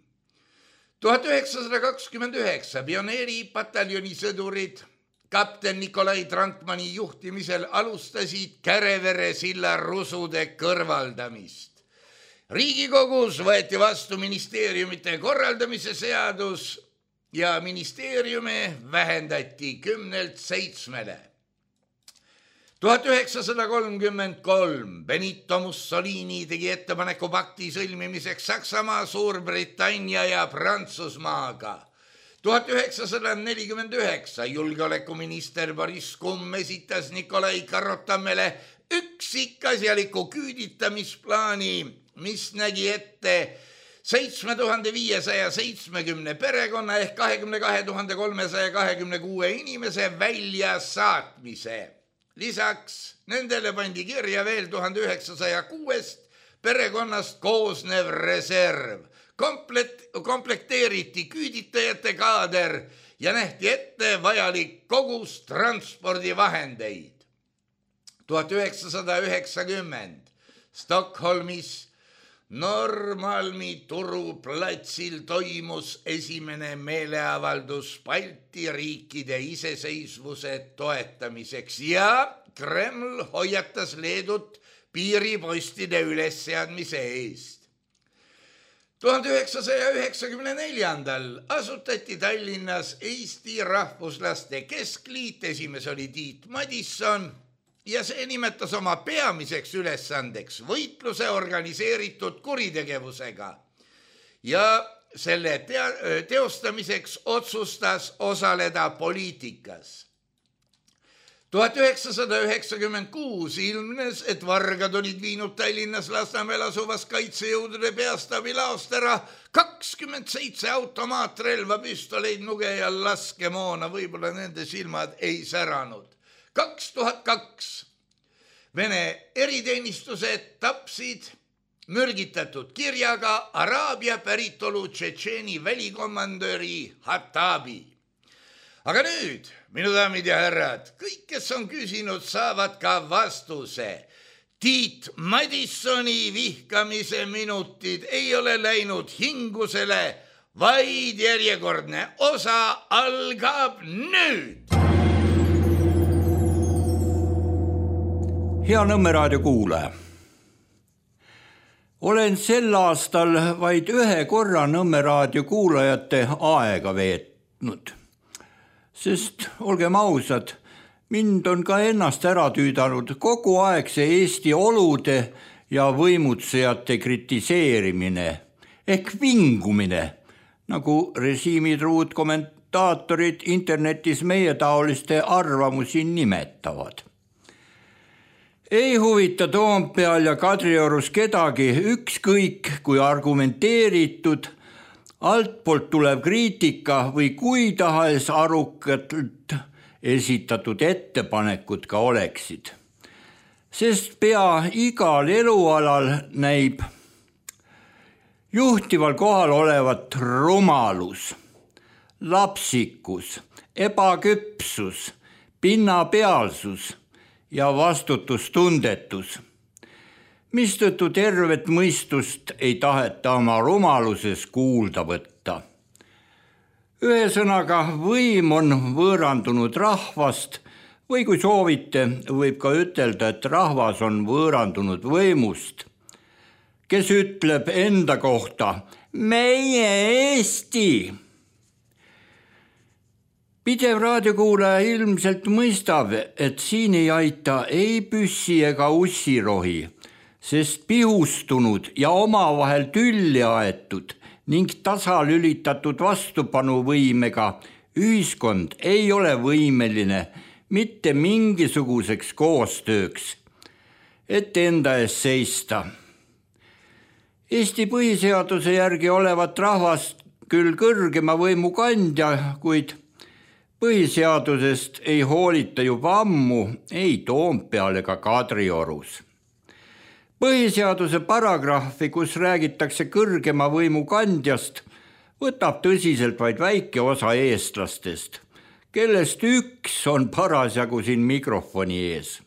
tuhat üheksasada kakskümmend üheksa pioneeri pataljoni sõdurid kapten Nikolai Trankmani juhtimisel alustasid Kärevere silla rusude kõrvaldamist. Riigikogus võeti vastu ministeeriumite korraldamise seadus ja ministeeriume vähendati kümnelt seitsmele. tuhat üheksasada kolmkümmend kolm Benito Mussolini tegi ettepaneku pakti sõlmimiseks Saksamaa, Suurbritannia ja Prantsusmaaga. tuhat üheksasada nelikümmend üheksa julgeolekuminister Boris Kumm esitas Nikolai Karotamele üksikasjaliku küüditamisplaani, mis nägi ette seitsme tuhande viiesaja seitsmekümne perekonna ehk kahekümne kahe tuhande kolmesaja kahekümne kuue inimese väljasaatmise. Lisaks nendele pandi kirja veel tuhande üheksasaja kuuest perekonnast koosnev reserv. Komplet, komplekteeriti küüditajate kaader ja nähti ette vajalik kogus transpordivahendeid. tuhat üheksasada üheksakümmend Stockholmis Norrmalmi turuplatsil toimus esimene meeleavaldus Balti riikide iseseisvuse toetamiseks ja Kreml hoiatas Leedut piiripostide ülesseadmise eest. tuhande üheksasaja üheksakümne neljandal asutati Tallinnas Eesti Rahvuslaste Keskliit, esimees oli Tiit Madisson ja see nimetas oma peamiseks ülesandeks võitluse organiseeritud kuritegevusega ja selle te- teostamiseks otsustas osaleda poliitikas. tuhat üheksasada üheksakümmend kuus ilmnes, et vargad olid viinud Tallinnas Lasnamäel asuvas kaitsejõudude peastaabi laost ära kakskümmend seitse automaatrelva, püstoleid, nuge ja laskemoona, võib-olla nende silmad ei säranud. kaks tuhat kaks Vene eriteenistused tapsid mürgitatud kirjaga Araabia päritolu Tšetšeeni välikomandöri Hatabi. Aga nüüd, minu daamid ja härrad, kõik, kes on küsinud, saavad ka vastuse. Tiit Madissoni vihkamise minutid ei ole läinud hingusele, vaid järjekordne osa algab nüüd. Hea Nõmme raadio kuulaja. Olen sel aastal vaid ühe korra Nõmme raadio kuulajate aega veetnud. Sest olgem ausad, mind on ka ennast ära tüüdanud kogu aeg see Eesti olude ja võimutsejate kritiseerimine ehk vingumine, nagu režiimitruud kommentaatorid internetis meie taoliste arvamusi nimetavad. Ei huvita Toompeal ja Kadriorus kedagi ükskõik kui argumenteeritud, altpoolt tulev kriitika või kui tahes arukalt esitatud ettepanekud ka oleksid. Sest pea igal elualal näib juhtival kohal olevat rumalus, lapsikus, ebaküpsus, pinnapealsus ja vastutustundetus, mistõttu tervet mõistust ei taheta oma rumaluses kuulda võtta. Ühesõnaga, võim on võõrandunud rahvast või kui soovite, võib ka ütelda, et rahvas on võõrandunud võimust, kes ütleb enda kohta meie Eesti. Pidev raadiokuulaja ilmselt mõistab, et siin ei aita ei püssi ega ussirohi, sest pihustunud ja omavahel tülli aetud ning tasalülitatud vastupanuvõimega ühiskond ei ole võimeline mitte mingisuguseks koostööks, et enda eest seista. Eesti põhiseaduse järgi olevat rahvast küll kõrgema võimu kandja, kuid Põhiseadusest ei hoolita juba ammu ei Toompeal ega Kadriorus. Põhiseaduse paragrahvi, kus räägitakse kõrgema võimu kandjast, võtab tõsiselt vaid väike osa eestlastest, kellest üks on parasjagu siin mikrofoni ees.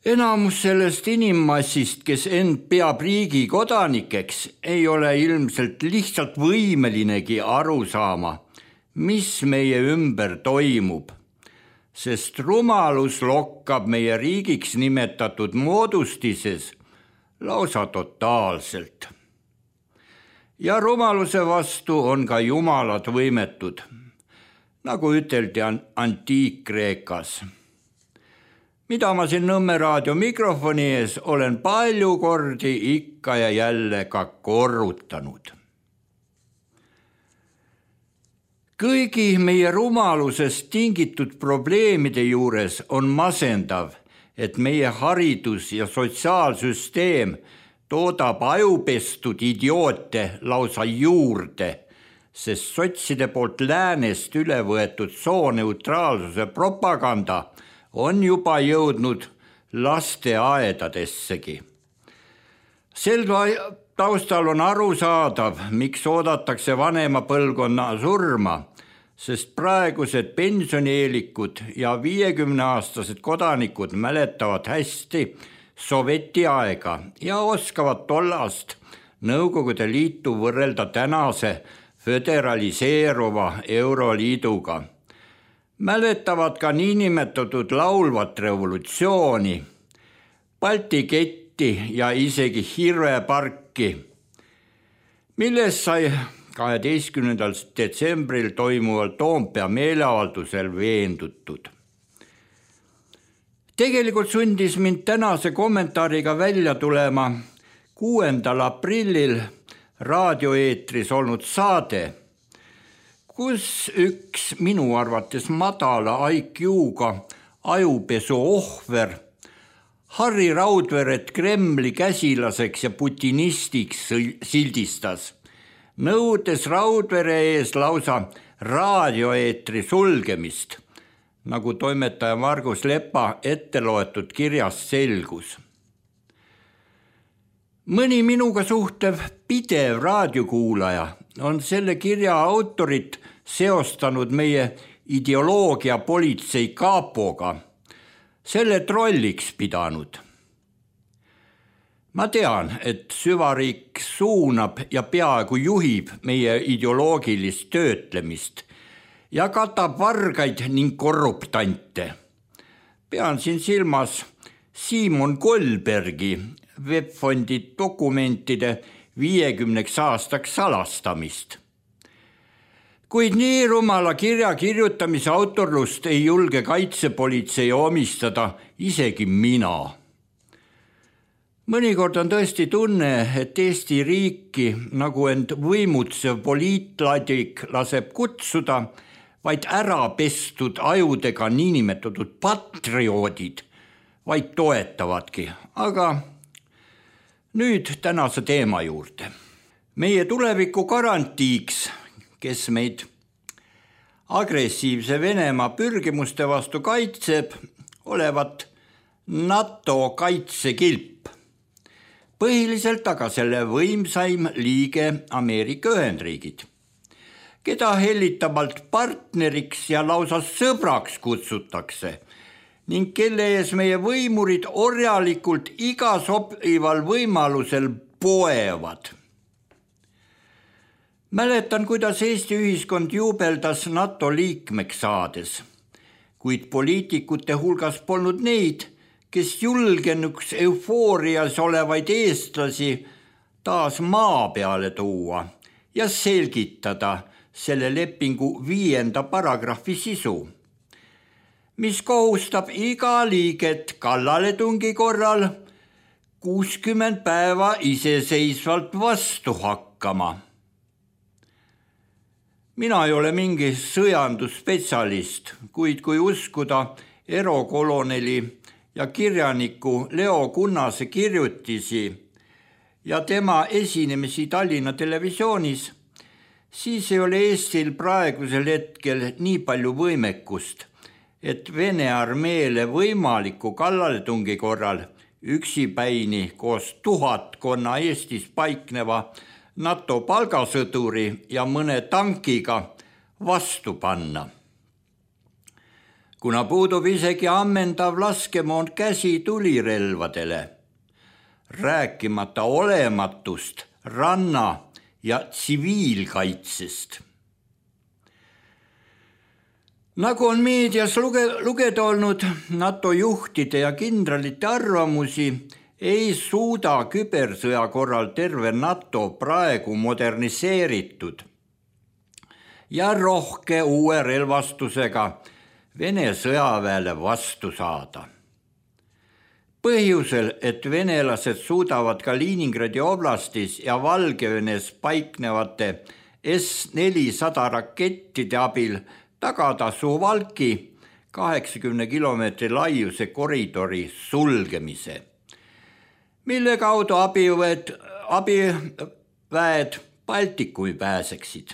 Enamus sellest inimmassist, kes end peab riigi kodanikeks, ei ole ilmselt lihtsalt võimelinegi aru saama, mis meie ümber toimub, sest rumalus lokkab meie riigiks nimetatud moodustises lausa totaalselt. Ja rumaluse vastu on ka jumalad võimetud, nagu üteldi Antiik-Kreekas. Mida ma siin Nõmme raadio mikrofoni ees olen palju kordi ikka ja jälle ka korrutanud. Kõigi meie rumalusest tingitud probleemide juures on masendav, et meie haridus- ja sotsiaalsüsteem toodab ajupestud idioote lausa juurde, sest sotside poolt läänest üle võetud sooneutraalsuse propaganda on juba jõudnud lasteaedadessegi. Sel taustal on arusaadav, miks oodatakse vanema põlvkonna surma, sest praegused pensionieelikud ja viiekümneaastased kodanikud mäletavad hästi soveti aega ja oskavad tollast Nõukogude Liitu võrrelda tänase föderaliseeruva Euroliiduga. Mäletavad ka niinimetatud laulvat revolutsiooni, Balti ketti ja isegi Hirveparki, milles sai kaheteistkümnendal detsembril toimuval Toompea meeleavaldusel veendutud. Tegelikult sundis mind tänase kommentaariga välja tulema kuuendal aprillil raadioeetris olnud saade, kus üks minu arvates madala I Q-ga ajupesu ohver Harri Raudveret Kremli käsilaseks ja putinistiks sildistas, nõudes Raudvere ees lausa raadioeetri sulgemist, nagu toimetaja Margus Lepa ette loetud kirjast selgus. Mõni minuga suhtev pidev raadiokuulaja on selle kirja autorit seostanud meie ideoloogia politsei kaapoga, selle trolliks pidanud. Ma tean, et süvariik suunab ja peaaegu juhib meie ideoloogilist töötlemist ja katab vargaid ning korruptante. Pean siin silmas Simon Kolbergi webfondi dokumentide viiekümneks aastaks salastamist. Kuid nii rumala kirja kirjutamise autorlust ei julge kaitsepolitsei omistada isegi mina. Mõnikord on tõesti tunne, et Eesti riiki, nagu end võimutsev poliitladik laseb kutsuda, vaid ära pestud ajudega niinimetatud patrioodid, vaid toetavadki, aga nüüd tänase teema juurde. Meie tuleviku garantiiks, kes meid agressiivse Venemaa pürgimuste vastu kaitseb, olevat NATO kaitsekilp. Põhiliselt aga selle võimsaim liige Ameerika Ühendriigid, keda hellitamalt partneriks ja lausa sõbraks kutsutakse ning kelle ees meie võimurid orjalikult iga sobival võimalusel poevad. Mäletan, kuidas Eesti ühiskond juubeldas NATO liikmeks saades, kuid poliitikute hulgas polnud neid, kes julgenuks eufoorias olevaid eestlasi taas maa peale tuua ja selgitada selle lepingu viienda paragrahvi sisu, mis kohustab iga liiget kallaletungi korral kuuskümmend päeva iseseisvalt vastu hakkama. Mina ei ole mingi sõjandusspetsialist, kuid kui uskuda erokoloneli ja kirjaniku Leo Kunnase kirjutisi ja tema esinemisi Tallinna televisioonis, siis ei ole Eestil praegusel hetkel nii palju võimekust, et Vene armeele võimaliku kallaletungi korral üksipäini koos tuhatkonna Eestis paikneva NATO palgasõduri ja mõne tankiga vastu panna. Kuna puudub isegi ammendav laskemoon käsitulirelvadele, rääkimata olematust ranna- ja tsiviilkaitsest. Nagu on meedias luge- lugeda olnud, NATO juhtide ja kindralite arvamusi ei suuda kübersõja korral terve NATO praegu moderniseeritud ja rohke uue relvastusega Vene sõjaväele vastu saada. Põhjusel, et venelased suudavad Kaliningradi oblastis ja Valgevenes paiknevate S nelisada rakettide abil tagada Suwałki kaheksakümne kilomeetri laiuse koridori sulgemise, mille kaudu abiväed, abiväed Baltikumi pääseksid,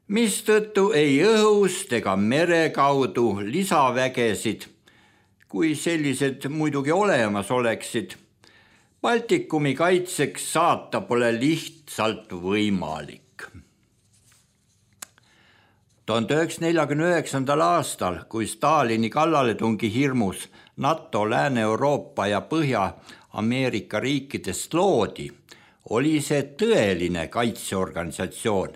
mistõttu ei õhust ega mere kaudu lisavägesid, kui sellised muidugi olemas oleksid, Baltikumi kaitseks saata pole lihtsalt võimalik. tuhande üheksasaja neljakümne üheksandal aastal, kui Stalini kallaletungi hirmus NATO Lääne-Euroopa ja Põhja-Ameerika riikidest loodi, oli see tõeline kaitseorganisatsioon,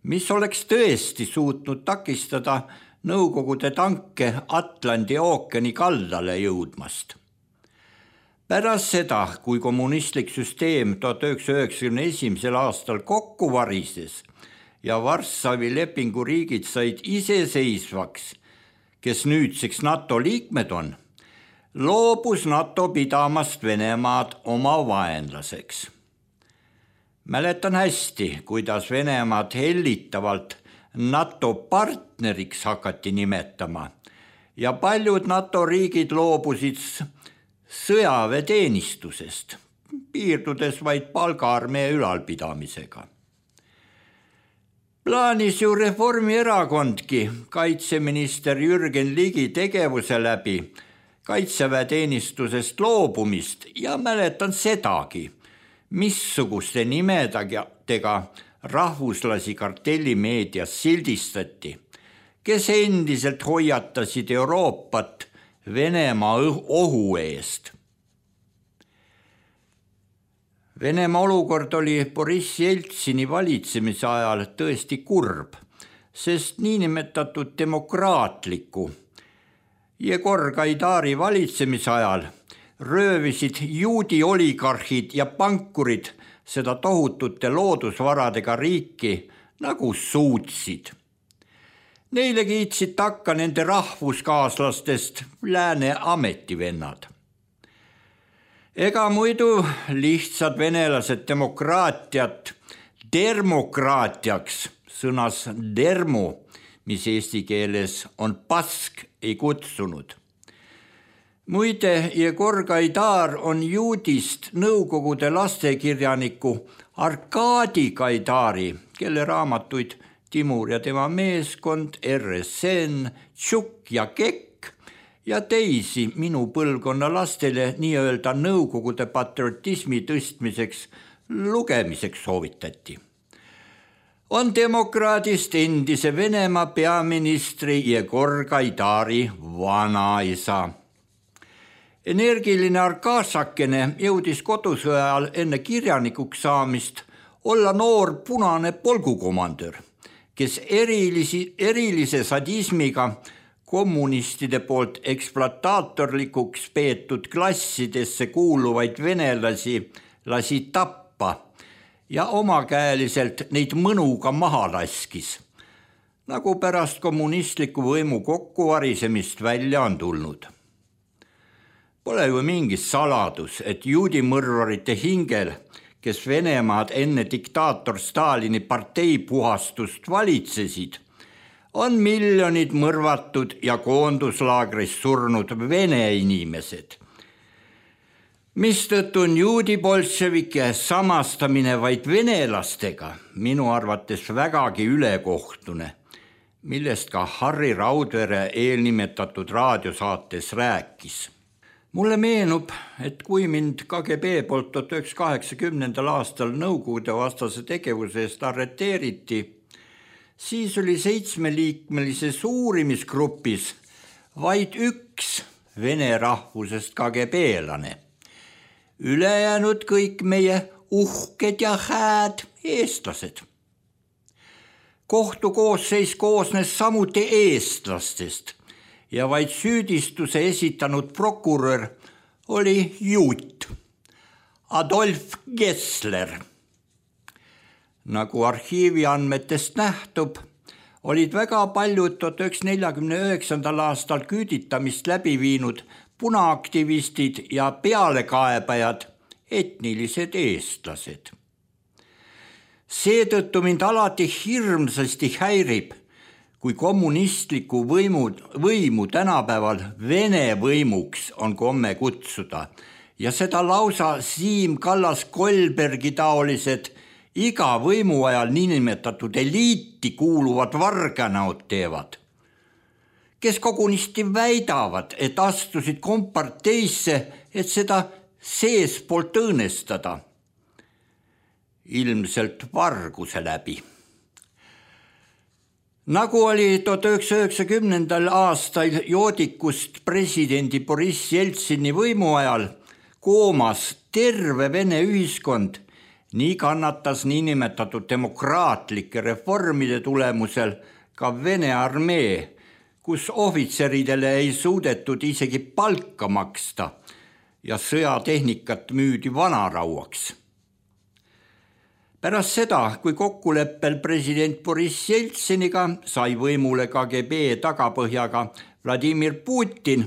mis oleks tõesti suutnud takistada Nõukogude tanke Atlandi ookeani kaldale jõudmast. Pärast seda, kui kommunistlik süsteem tuhat üheksasaja üheksakümne esimesel aastal kokku varises ja Varssavi lepingu riigid said iseseisvaks, kes nüüdseks NATO liikmed on, loobus NATO pidamast Venemaad oma vaenlaseks. Mäletan hästi, kuidas Venemaad hellitavalt NATO partneriks hakati nimetama ja paljud NATO riigid loobusid sõjaväeteenistusest, piirdudes vaid palgaarmee ülalpidamisega. Plaanis ju Reformierakondki kaitseminister Jürgen Ligi tegevuse läbi kaitseväeteenistusest loobumist ja mäletan sedagi, missuguste nimedega rahvuslasi kartellimeedias sildistati, kes endiselt hoiatasid Euroopat Venemaa ohu eest. Venemaa olukord oli Boris Jeltsini valitsemise ajal tõesti kurb, sest niinimetatud demokraatliku Jegor Gaidari valitsemise ajal röövisid juudi oligarhid ja pankurid seda tohutute loodusvaradega riiki nagu suutsid. Neile kiitsid takka nende rahvuskaaslastest lääne ametivennad. Ega muidu lihtsad venelased demokraatiat demokraatiaks, sõnas dermo, mis eesti keeles on pask, ei kutsunud. Muide, Jegor Gaidar on juudist Nõukogude lastekirjaniku Arkadi Gaidari, kelle raamatuid Timur ja tema meeskond, R S N, Tšukk ja Kekk ja teisi minu põlvkonna lastele nii-öelda Nõukogude patriotismi tõstmiseks lugemiseks soovitati. On demokraadist endise Venemaa peaministri Jegor Gaidari vanaisa. Energiline Arkasakene jõudis kodusõja ajal enne kirjanikuks saamist olla noor punane polgukomandör, kes erilisi, erilise sadismiga kommunistide poolt ekspluataatorlikuks peetud klassidesse kuuluvaid venelasi lasi tappa ja omakäeliselt neid mõnuga maha laskis, nagu pärast kommunistliku võimu kokkuvarisemist välja on tulnud. Pole ju mingi saladus, et juudimõrvarite hingel, kes Venemaad enne diktaator Stalini parteipuhastust valitsesid, on miljonid mõrvatud ja koonduslaagris surnud vene inimesed. Mistõttu on juudi bolševike samastamine vaid venelastega minu arvates vägagi ülekohtune, millest ka Harri Raudvere eelnimetatud raadiosaates rääkis. Mulle meenub, et kui mind K G B poolt tuhat üheksasada kaheksakümnendal aastal Nõukogude vastase tegevuse eest arreteeriti, siis oli seitsmeliikmelises uurimisgrupis vaid üks vene rahvusest K G B-lane. Ülejäänud kõik meie uhked ja hääd eestlased. Kohtukoosseis koosnes samuti eestlastest ja vaid süüdistuse esitanud prokurör oli juut Adolf Gessler. Nagu arhiivi andmetest nähtub, olid väga paljud tuhat üheksasada neljakümne üheksandal aastal küüditamist läbi viinud punaaktivistid ja pealekaebajad etnilised eestlased. Seetõttu mind alati hirmsasti häirib, kui kommunistliku võimu, võimu tänapäeval Vene võimuks on komme kutsuda ja seda lausa Siim Kallas-Kolbergi taolised iga võimu ajal niinimetatud eliiti kuuluvad varganaud teevad, kes kogunisti väidavad, et astusid komparteisse, et seda seespoolt õõnestada, ilmselt varguse läbi. Nagu oli tuhat üheksasada üheksakümnendal aastal joodikust presidendi Boriss Jeltsini võimu ajal koomas terve Vene ühiskond, nii kannatas niinimetatud demokraatlike reformide tulemusel ka Vene armee, kus ohvitseridele ei suudetud isegi palka maksta ja sõjatehnikat müüdi vanarauaks. Pärast seda, kui kokkuleppel president Boriss Jeltsiniga sai võimule K G B tagapõhjaga Vladimir Putin,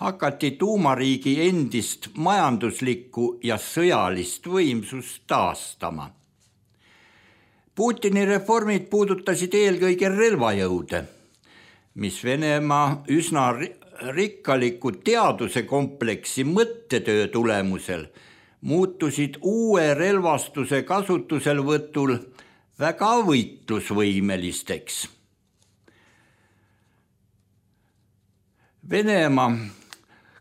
hakati tuumariigi endist majanduslikku ja sõjalist võimsust taastama. Putini reformid puudutasid eelkõige relvajõude, mis Venemaa üsna rikkaliku teaduse kompleksi mõttetöö tulemusel muutusid uue relvastuse kasutuselvõtul väga võitlusvõimelisteks. Venemaa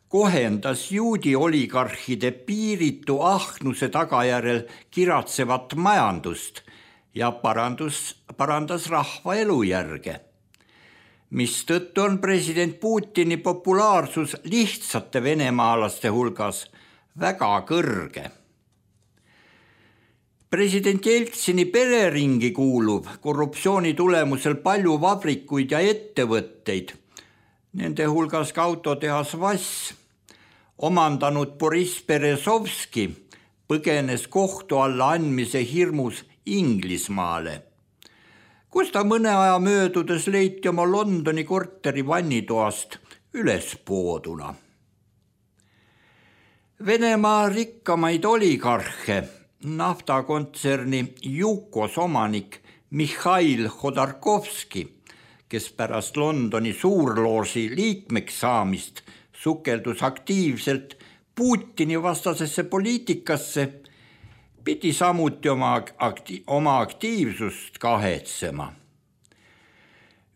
kohendas juudi oligarhide piiritu ahnuse tagajärjel kiratsevat majandust ja parandus, parandas rahva elujärge, mistõttu on president Putini populaarsus lihtsate venemaalaste hulgas väga kõrge. President Jeltsini pereringi kuulub korruptsiooni tulemusel palju vabrikuid ja ettevõtteid, nende hulgas ka autotehas Vass, omandanud Boriss Berezovski põgenes kohtu alla andmise hirmus Inglismaale, kus ta mõne aja möödudes leiti oma Londoni korteri vannitoast ülespooduna. Venemaa rikkamaid oligarhe, naftakontserni Jukos omanik Mihhail Hodorkovski, kes pärast Londoni suurlooži liikmeks saamist sukeldus aktiivselt Putini vastasesse poliitikasse, pidi samuti oma, akti- oma aktiivsust kahetsema.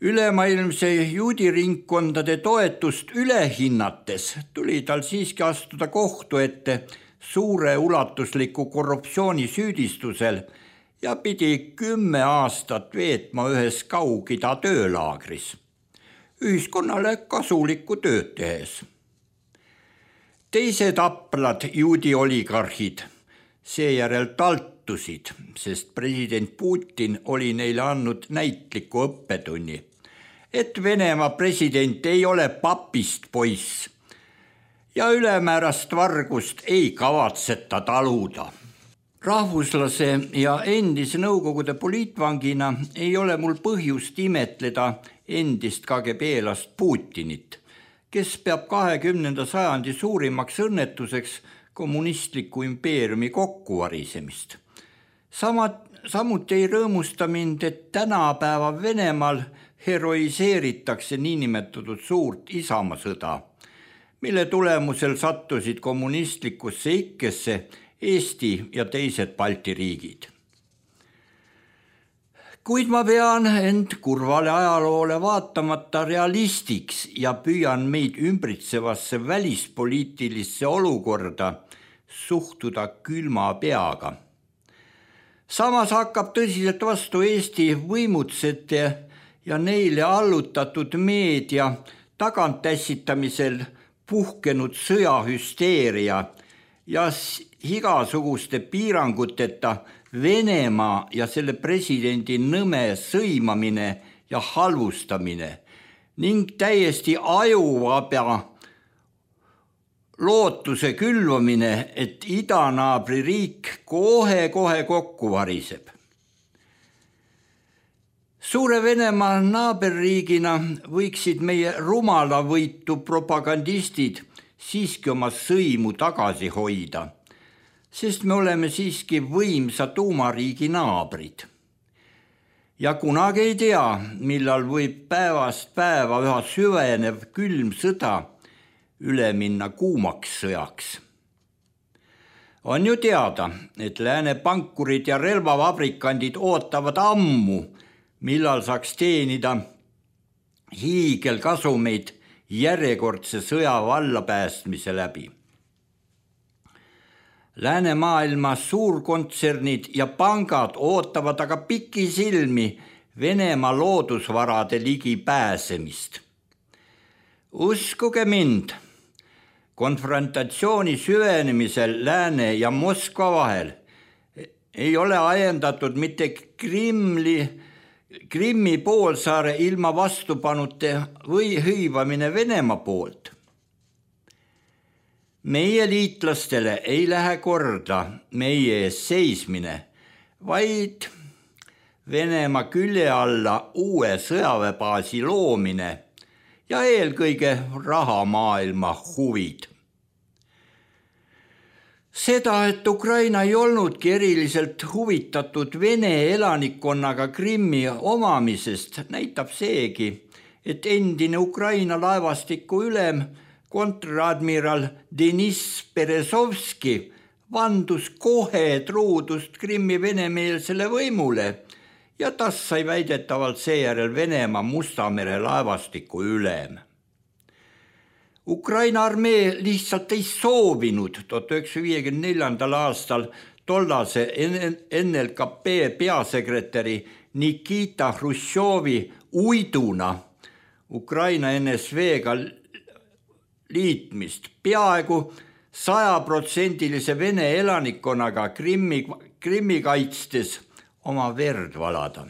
Ülemaailmse juudiringkondade toetust ülehinnates tuli tal siiski astuda kohtu ette suure ulatusliku korruptsiooni süüdistusel ja pidi kümme aastat veetma ühes Kaug-Ida töölaagris, ühiskonnale kasulikku tööd tehes. Teised aprad juudi oligarhid seejärel taltusid, sest president Putin oli neile andnud näitliku õppetunni, et Venemaa president ei ole papist poiss ja ülemäärast vargust ei kavatseta taluda. Rahvuslase ja endise Nõukogude poliitvangina ei ole mul põhjust imetleda endist K G B-last Putinit, kes peab kahekümnenda sajandi suurimaks õnnetuseks kommunistliku impeeriumi kokkuvarisemist. Sama, samuti ei rõõmusta mind, et tänapäeva Venemaal heroiseeritakse niinimetatud suurt isamasõda, mille tulemusel sattusid kommunistlikusse ikkesse Eesti ja teised Balti riigid. Kuid ma pean end kurvale ajaloole vaatamata realistiks ja püüan meid ümbritsevasse välispoliitilisse olukorda suhtuda külma peaga. Samas hakkab tõsiselt vastu Eesti võimutsete ja neile allutatud meedia tagantässitamisel puhkenud sõjahüsteeria ja igasuguste piiranguteta Venemaa ja selle presidendi nõme sõimamine ja halvustamine ning täiesti ajuvaba lootuse külvamine, et idanaabri riik kohe-kohe kokku variseb. Suure Venemaa naaberriigina võiksid meie rumalavõitu propagandistid siiski oma sõimu tagasi hoida, sest me oleme siiski võimsa tuumariigi naabrid. Ja kunagi ei tea, millal võib päevast päeva üha süvenev külm sõda üle minna kuumaks sõjaks. On ju teada, et lääne pankurid ja relvavabrikandid ootavad ammu, millal saaks teenida hiigelkasumeid järjekordse sõja vallapäästmise läbi. Läänemaailma suurkontsernid ja pangad ootavad aga pikisilmi Venemaa loodusvarade ligi pääsemist. Uskuge mind, konfrontatsiooni süvenemisel Lääne ja Moskva vahel ei ole ajendatud mitte Krimli, Krimmi poolsaare ilma vastupanute või hõivamine Venemaa poolt. Meie liitlastele ei lähe korda meie ees seismine, vaid Venemaa külje alla uue sõjaväebaasi loomine ja eelkõige rahamaailma huvid. Seda, et Ukraina ei olnudki eriliselt huvitatud Vene elanikkonnaga Krimmi omamisest, näitab seegi, et endine Ukraina laevastiku ülem kontradmiral Deniss Berezovski vandus kohe truudust Krimmi venemeelsele võimule ja tas sai väidetavalt seejärel Venemaa Musta mere laevastiku ülem. Ukraina armee lihtsalt ei soovinud tuhat üheksasaja viiekümne neljandal aastal tollase N L K P peasekretäri Nikita Hruštšovi uiduna Ukraina N S V-ga liitmist peaaegu sajaprotsendilise Vene elanikkonnaga Krimmi, Krimmi kaitstes oma verd valada.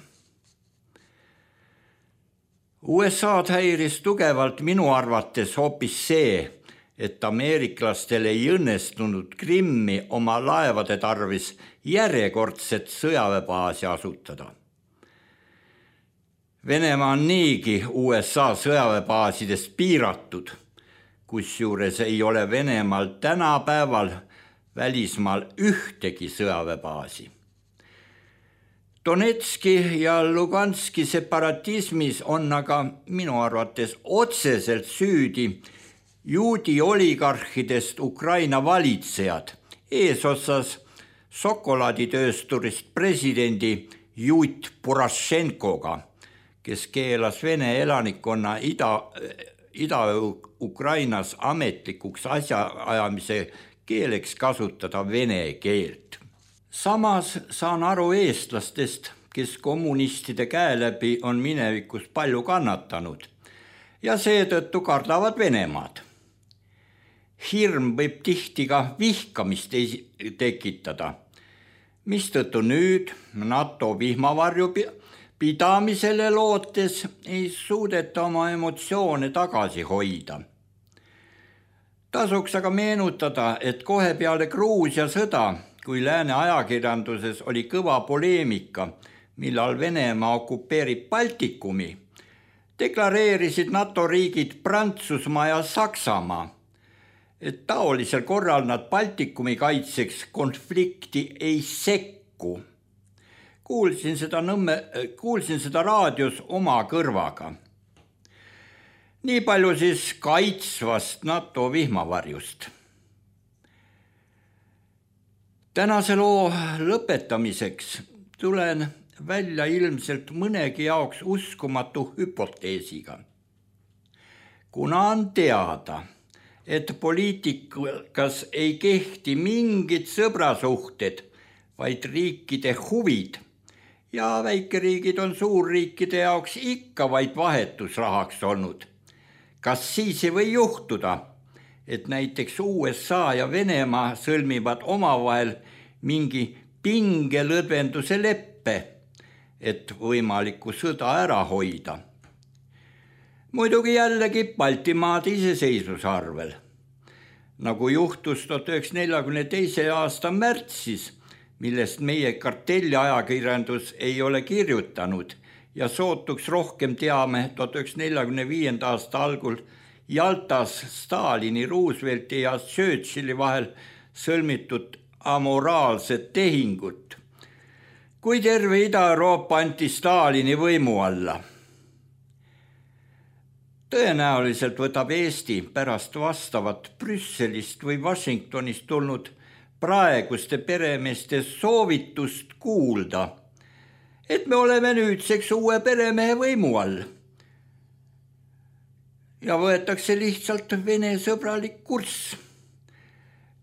U S A-d häiris tugevalt minu arvates hoopis see, et ameeriklastel ei õnnestunud Krimmi oma laevade tarvis järjekordset sõjaväebaasi asutada. Venemaa on niigi U S A sõjaväebaasidest piiratud, kusjuures ei ole Venemaal tänapäeval välismaal ühtegi sõjaväebaasi. Donetski ja Luganski separatismis on aga minu arvates otseselt süüdi juudi oligarhidest Ukraina valitsejad, eesotsas šokolaaditöösturist presidendi Juut Porošenkoga, kes keelas Vene elanikkonna ida, Ida-Ukrainas ametlikuks asjaajamise keeleks kasutada vene keelt. Samas saan aru eestlastest, kes kommunistide käe läbi on minevikus palju kannatanud ja seetõttu kardavad Venemaad. Hirm võib tihti ka vihkamist tekitada, mistõttu nüüd NATO vihmavarju pidamisele lootes ei suudeta oma emotsioone tagasi hoida. Tasuks aga meenutada, et kohe peale Gruusia sõda, kui lääne ajakirjanduses oli kõva poleemika, millal Venemaa okupeerib Baltikumi, deklareerisid NATO riigid Prantsusmaa ja Saksamaa, et taolisel korral nad Baltikumi kaitseks konflikti ei sekku. Kuulsin seda, nõmme, kuulsin seda raadios oma kõrvaga. Nii palju siis kaitsvast NATO vihmavarjust. Tänase loo lõpetamiseks tulen välja ilmselt mõnegi jaoks uskumatu hüpoteesiga. Kuna on teada, et poliitikas ei kehti mingid sõbrasuhted, vaid riikide huvid ja väikeriigid on suurriikide jaoks ikka vaid vahetusrahaks olnud. Kas siis ei või juhtuda, et näiteks U S A ja Venemaa sõlmivad omavahel mingi pingelõdvenduse leppe, et võimalikku sõda ära hoida? Muidugi jällegi Baltimaade iseseisvuse arvel. Nagu juhtus tuhat üheksasada neljakümne teise aasta märtsis, millest meie kartelliajakirjandus ei ole kirjutanud ja sootuks rohkem teame tuhat üheksasada neljakümne viienda aasta algul Jaltas Stalini, Roosevelti ja Churchilli vahel sõlmitud amoraalset tehingut, kui terve Ida-Euroopa anti Stalini võimu alla. Tõenäoliselt võtab Eesti pärast vastavat Brüsselist või Washingtonist tulnud praeguste peremeeste soovitust kuulda, et me oleme nüüdseks uue peremehe võimu all. Ja võetakse lihtsalt Vene sõbralik kurss,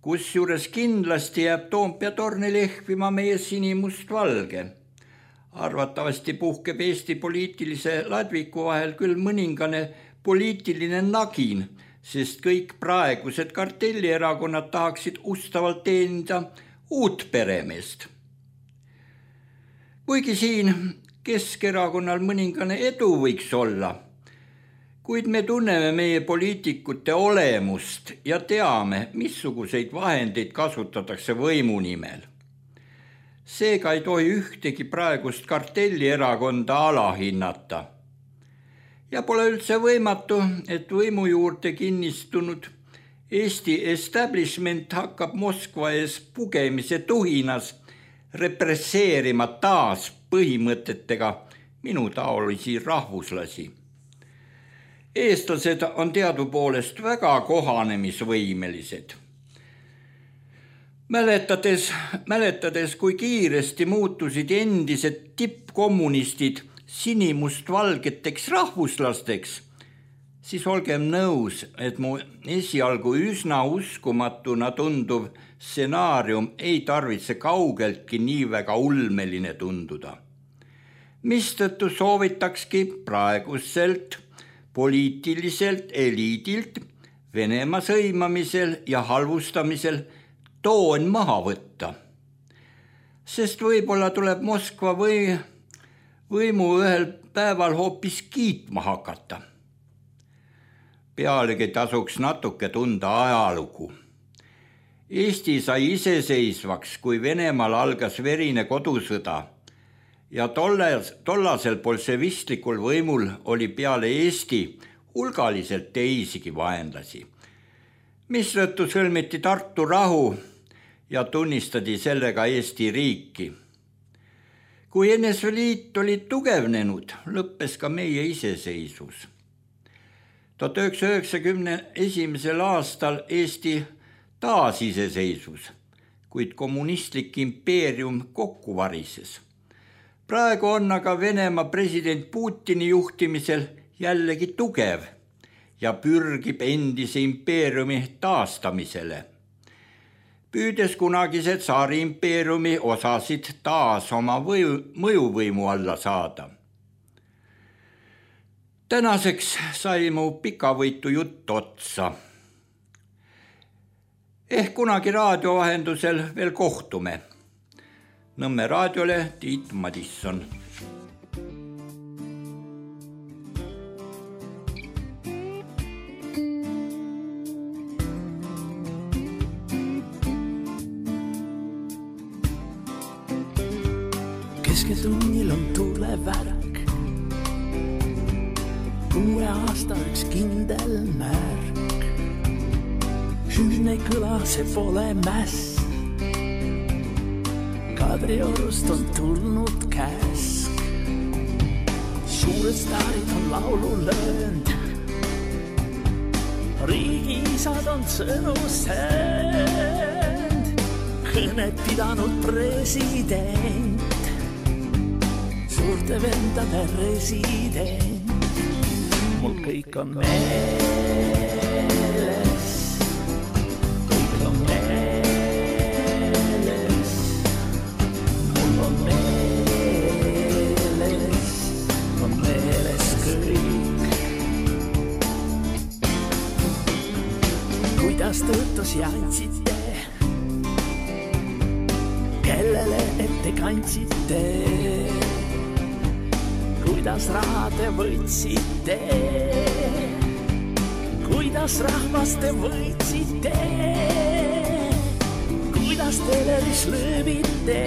kus juures kindlasti jääb Toompea torni lehvima meie sinimust valge. Arvatavasti puhkeb Eesti poliitilise ladviku vahel küll mõningane poliitiline nagin, sest kõik praegused kartellierakonnad tahaksid ustavalt teenida uut peremeest. Kuigi siin Keskerakonnal mõningane edu võiks olla, kuid me tunneme meie poliitikute olemust ja teame, missuguseid vahendeid kasutatakse võimu nimel. Seega ei tohi ühtegi praegust kartellierakonda alahinnata. Ja pole üldse võimatu, et võimu juurde kinnistunud Eesti establishment hakkab Moskva ees pugemise tuhinas represseerima taas põhimõtetega minu taolisi rahvuslasi. Eestlased on teadupoolest väga kohanemisvõimelised. Mäletades, mäletades, kui kiiresti muutusid endised tippkommunistid sinimustvalgeteks rahvuslasteks, siis olgem nõus, et mu esialgu üsna uskumatuna tunduv stsenaarium ei tarvitse kaugeltki nii väga ulmeline tunduda. Mistõttu soovitakski praeguselt poliitiliselt eliidilt Venemaa sõimamisel ja halvustamisel toon maha võtta. Sest võib-olla tuleb Moskva või võimu ühel päeval hoopis kiitma hakata. Pealegi tasuks natuke tunda ajalugu. Eesti sai iseseisvaks, kui Venemaal algas verine kodusõda ja tolles, tollasel bolševistlikul võimul oli peale Eesti hulgaliselt teisigi vaenlasi, mistõttu sõlmiti Tartu rahu ja tunnistati sellega Eesti riiki. Kui N S V Liit oli tugevnenud, lõppes ka meie iseseisvus. tuhat üheksasaja üheksakümne esimesel aastal Eesti taas iseseisvus, kuid kommunistlik impeerium kokku varises. Praegu on aga Venemaa president Putini juhtimisel jällegi tugev ja pürgib endise impeeriumi taastamisele, püüdes kunagise tsaari impeeriumi osasid taas oma võju, mõjuvõimu alla saada. Tänaseks sai mu pikavõitu jutt otsa. Ehk kunagi raadio vahendusel veel kohtume. Nõmme raadiole Tiit Madisson. Kesketunnil on tulevärak, uue aasta üks kindel märk. Hüüne kõla, see pole mäss. Kadriorust on tulnud käsk. Suured staarid on laulu löönd, riigisad on sõnu söönd, kõnet pidanud president, suurte vendade resident. Mul kõik on meeles, kõik on meeles, mul on meeles, on meeles kõik. Kuidas tõotusi andsite, kellele ette kandsite, kuidas raha te võitsite, kuidas rahvast te võitsite, kuidas teleris lööbite,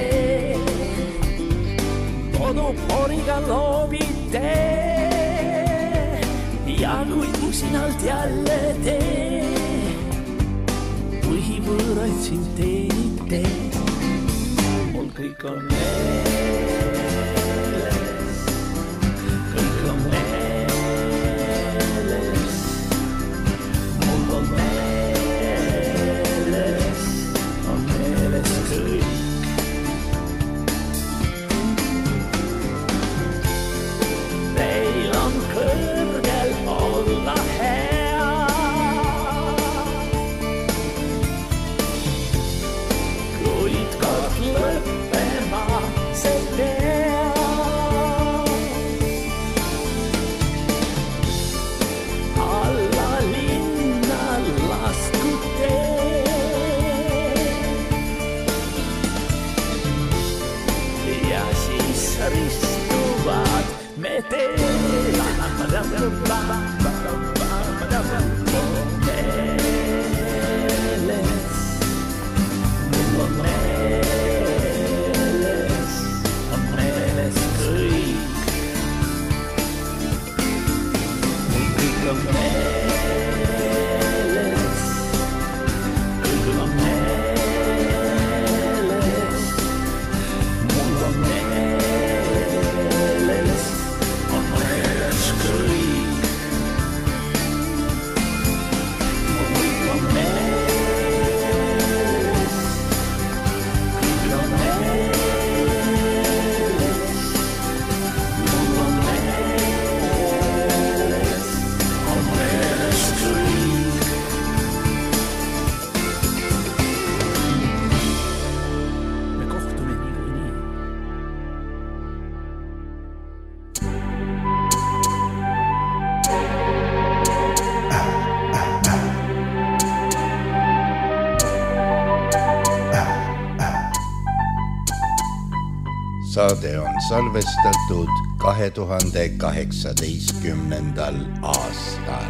koduporiga loobite ja kui usinalt jälle te põhivõõraid siin teenite. Mul kõik on meeles, kõik on meeles, mul on meeles, on meeles kõik. Teil on kõrgel olla hea, kuid kord lõppema see peab. Alla linna lasku tee ja siis ristuvad me teed. Meeles, mul on meeles, on meeles kõik. Mul kõik on meeles, kõik on meeles, mul on meeles, on meeles kõik. Mul kõik on meeles, kõik on meeles, mul on meeles, on meeles kõik. Me kohtume niikuinii. Saade on salvestatud kahe tuhande kaheksateistkümnendal aastal.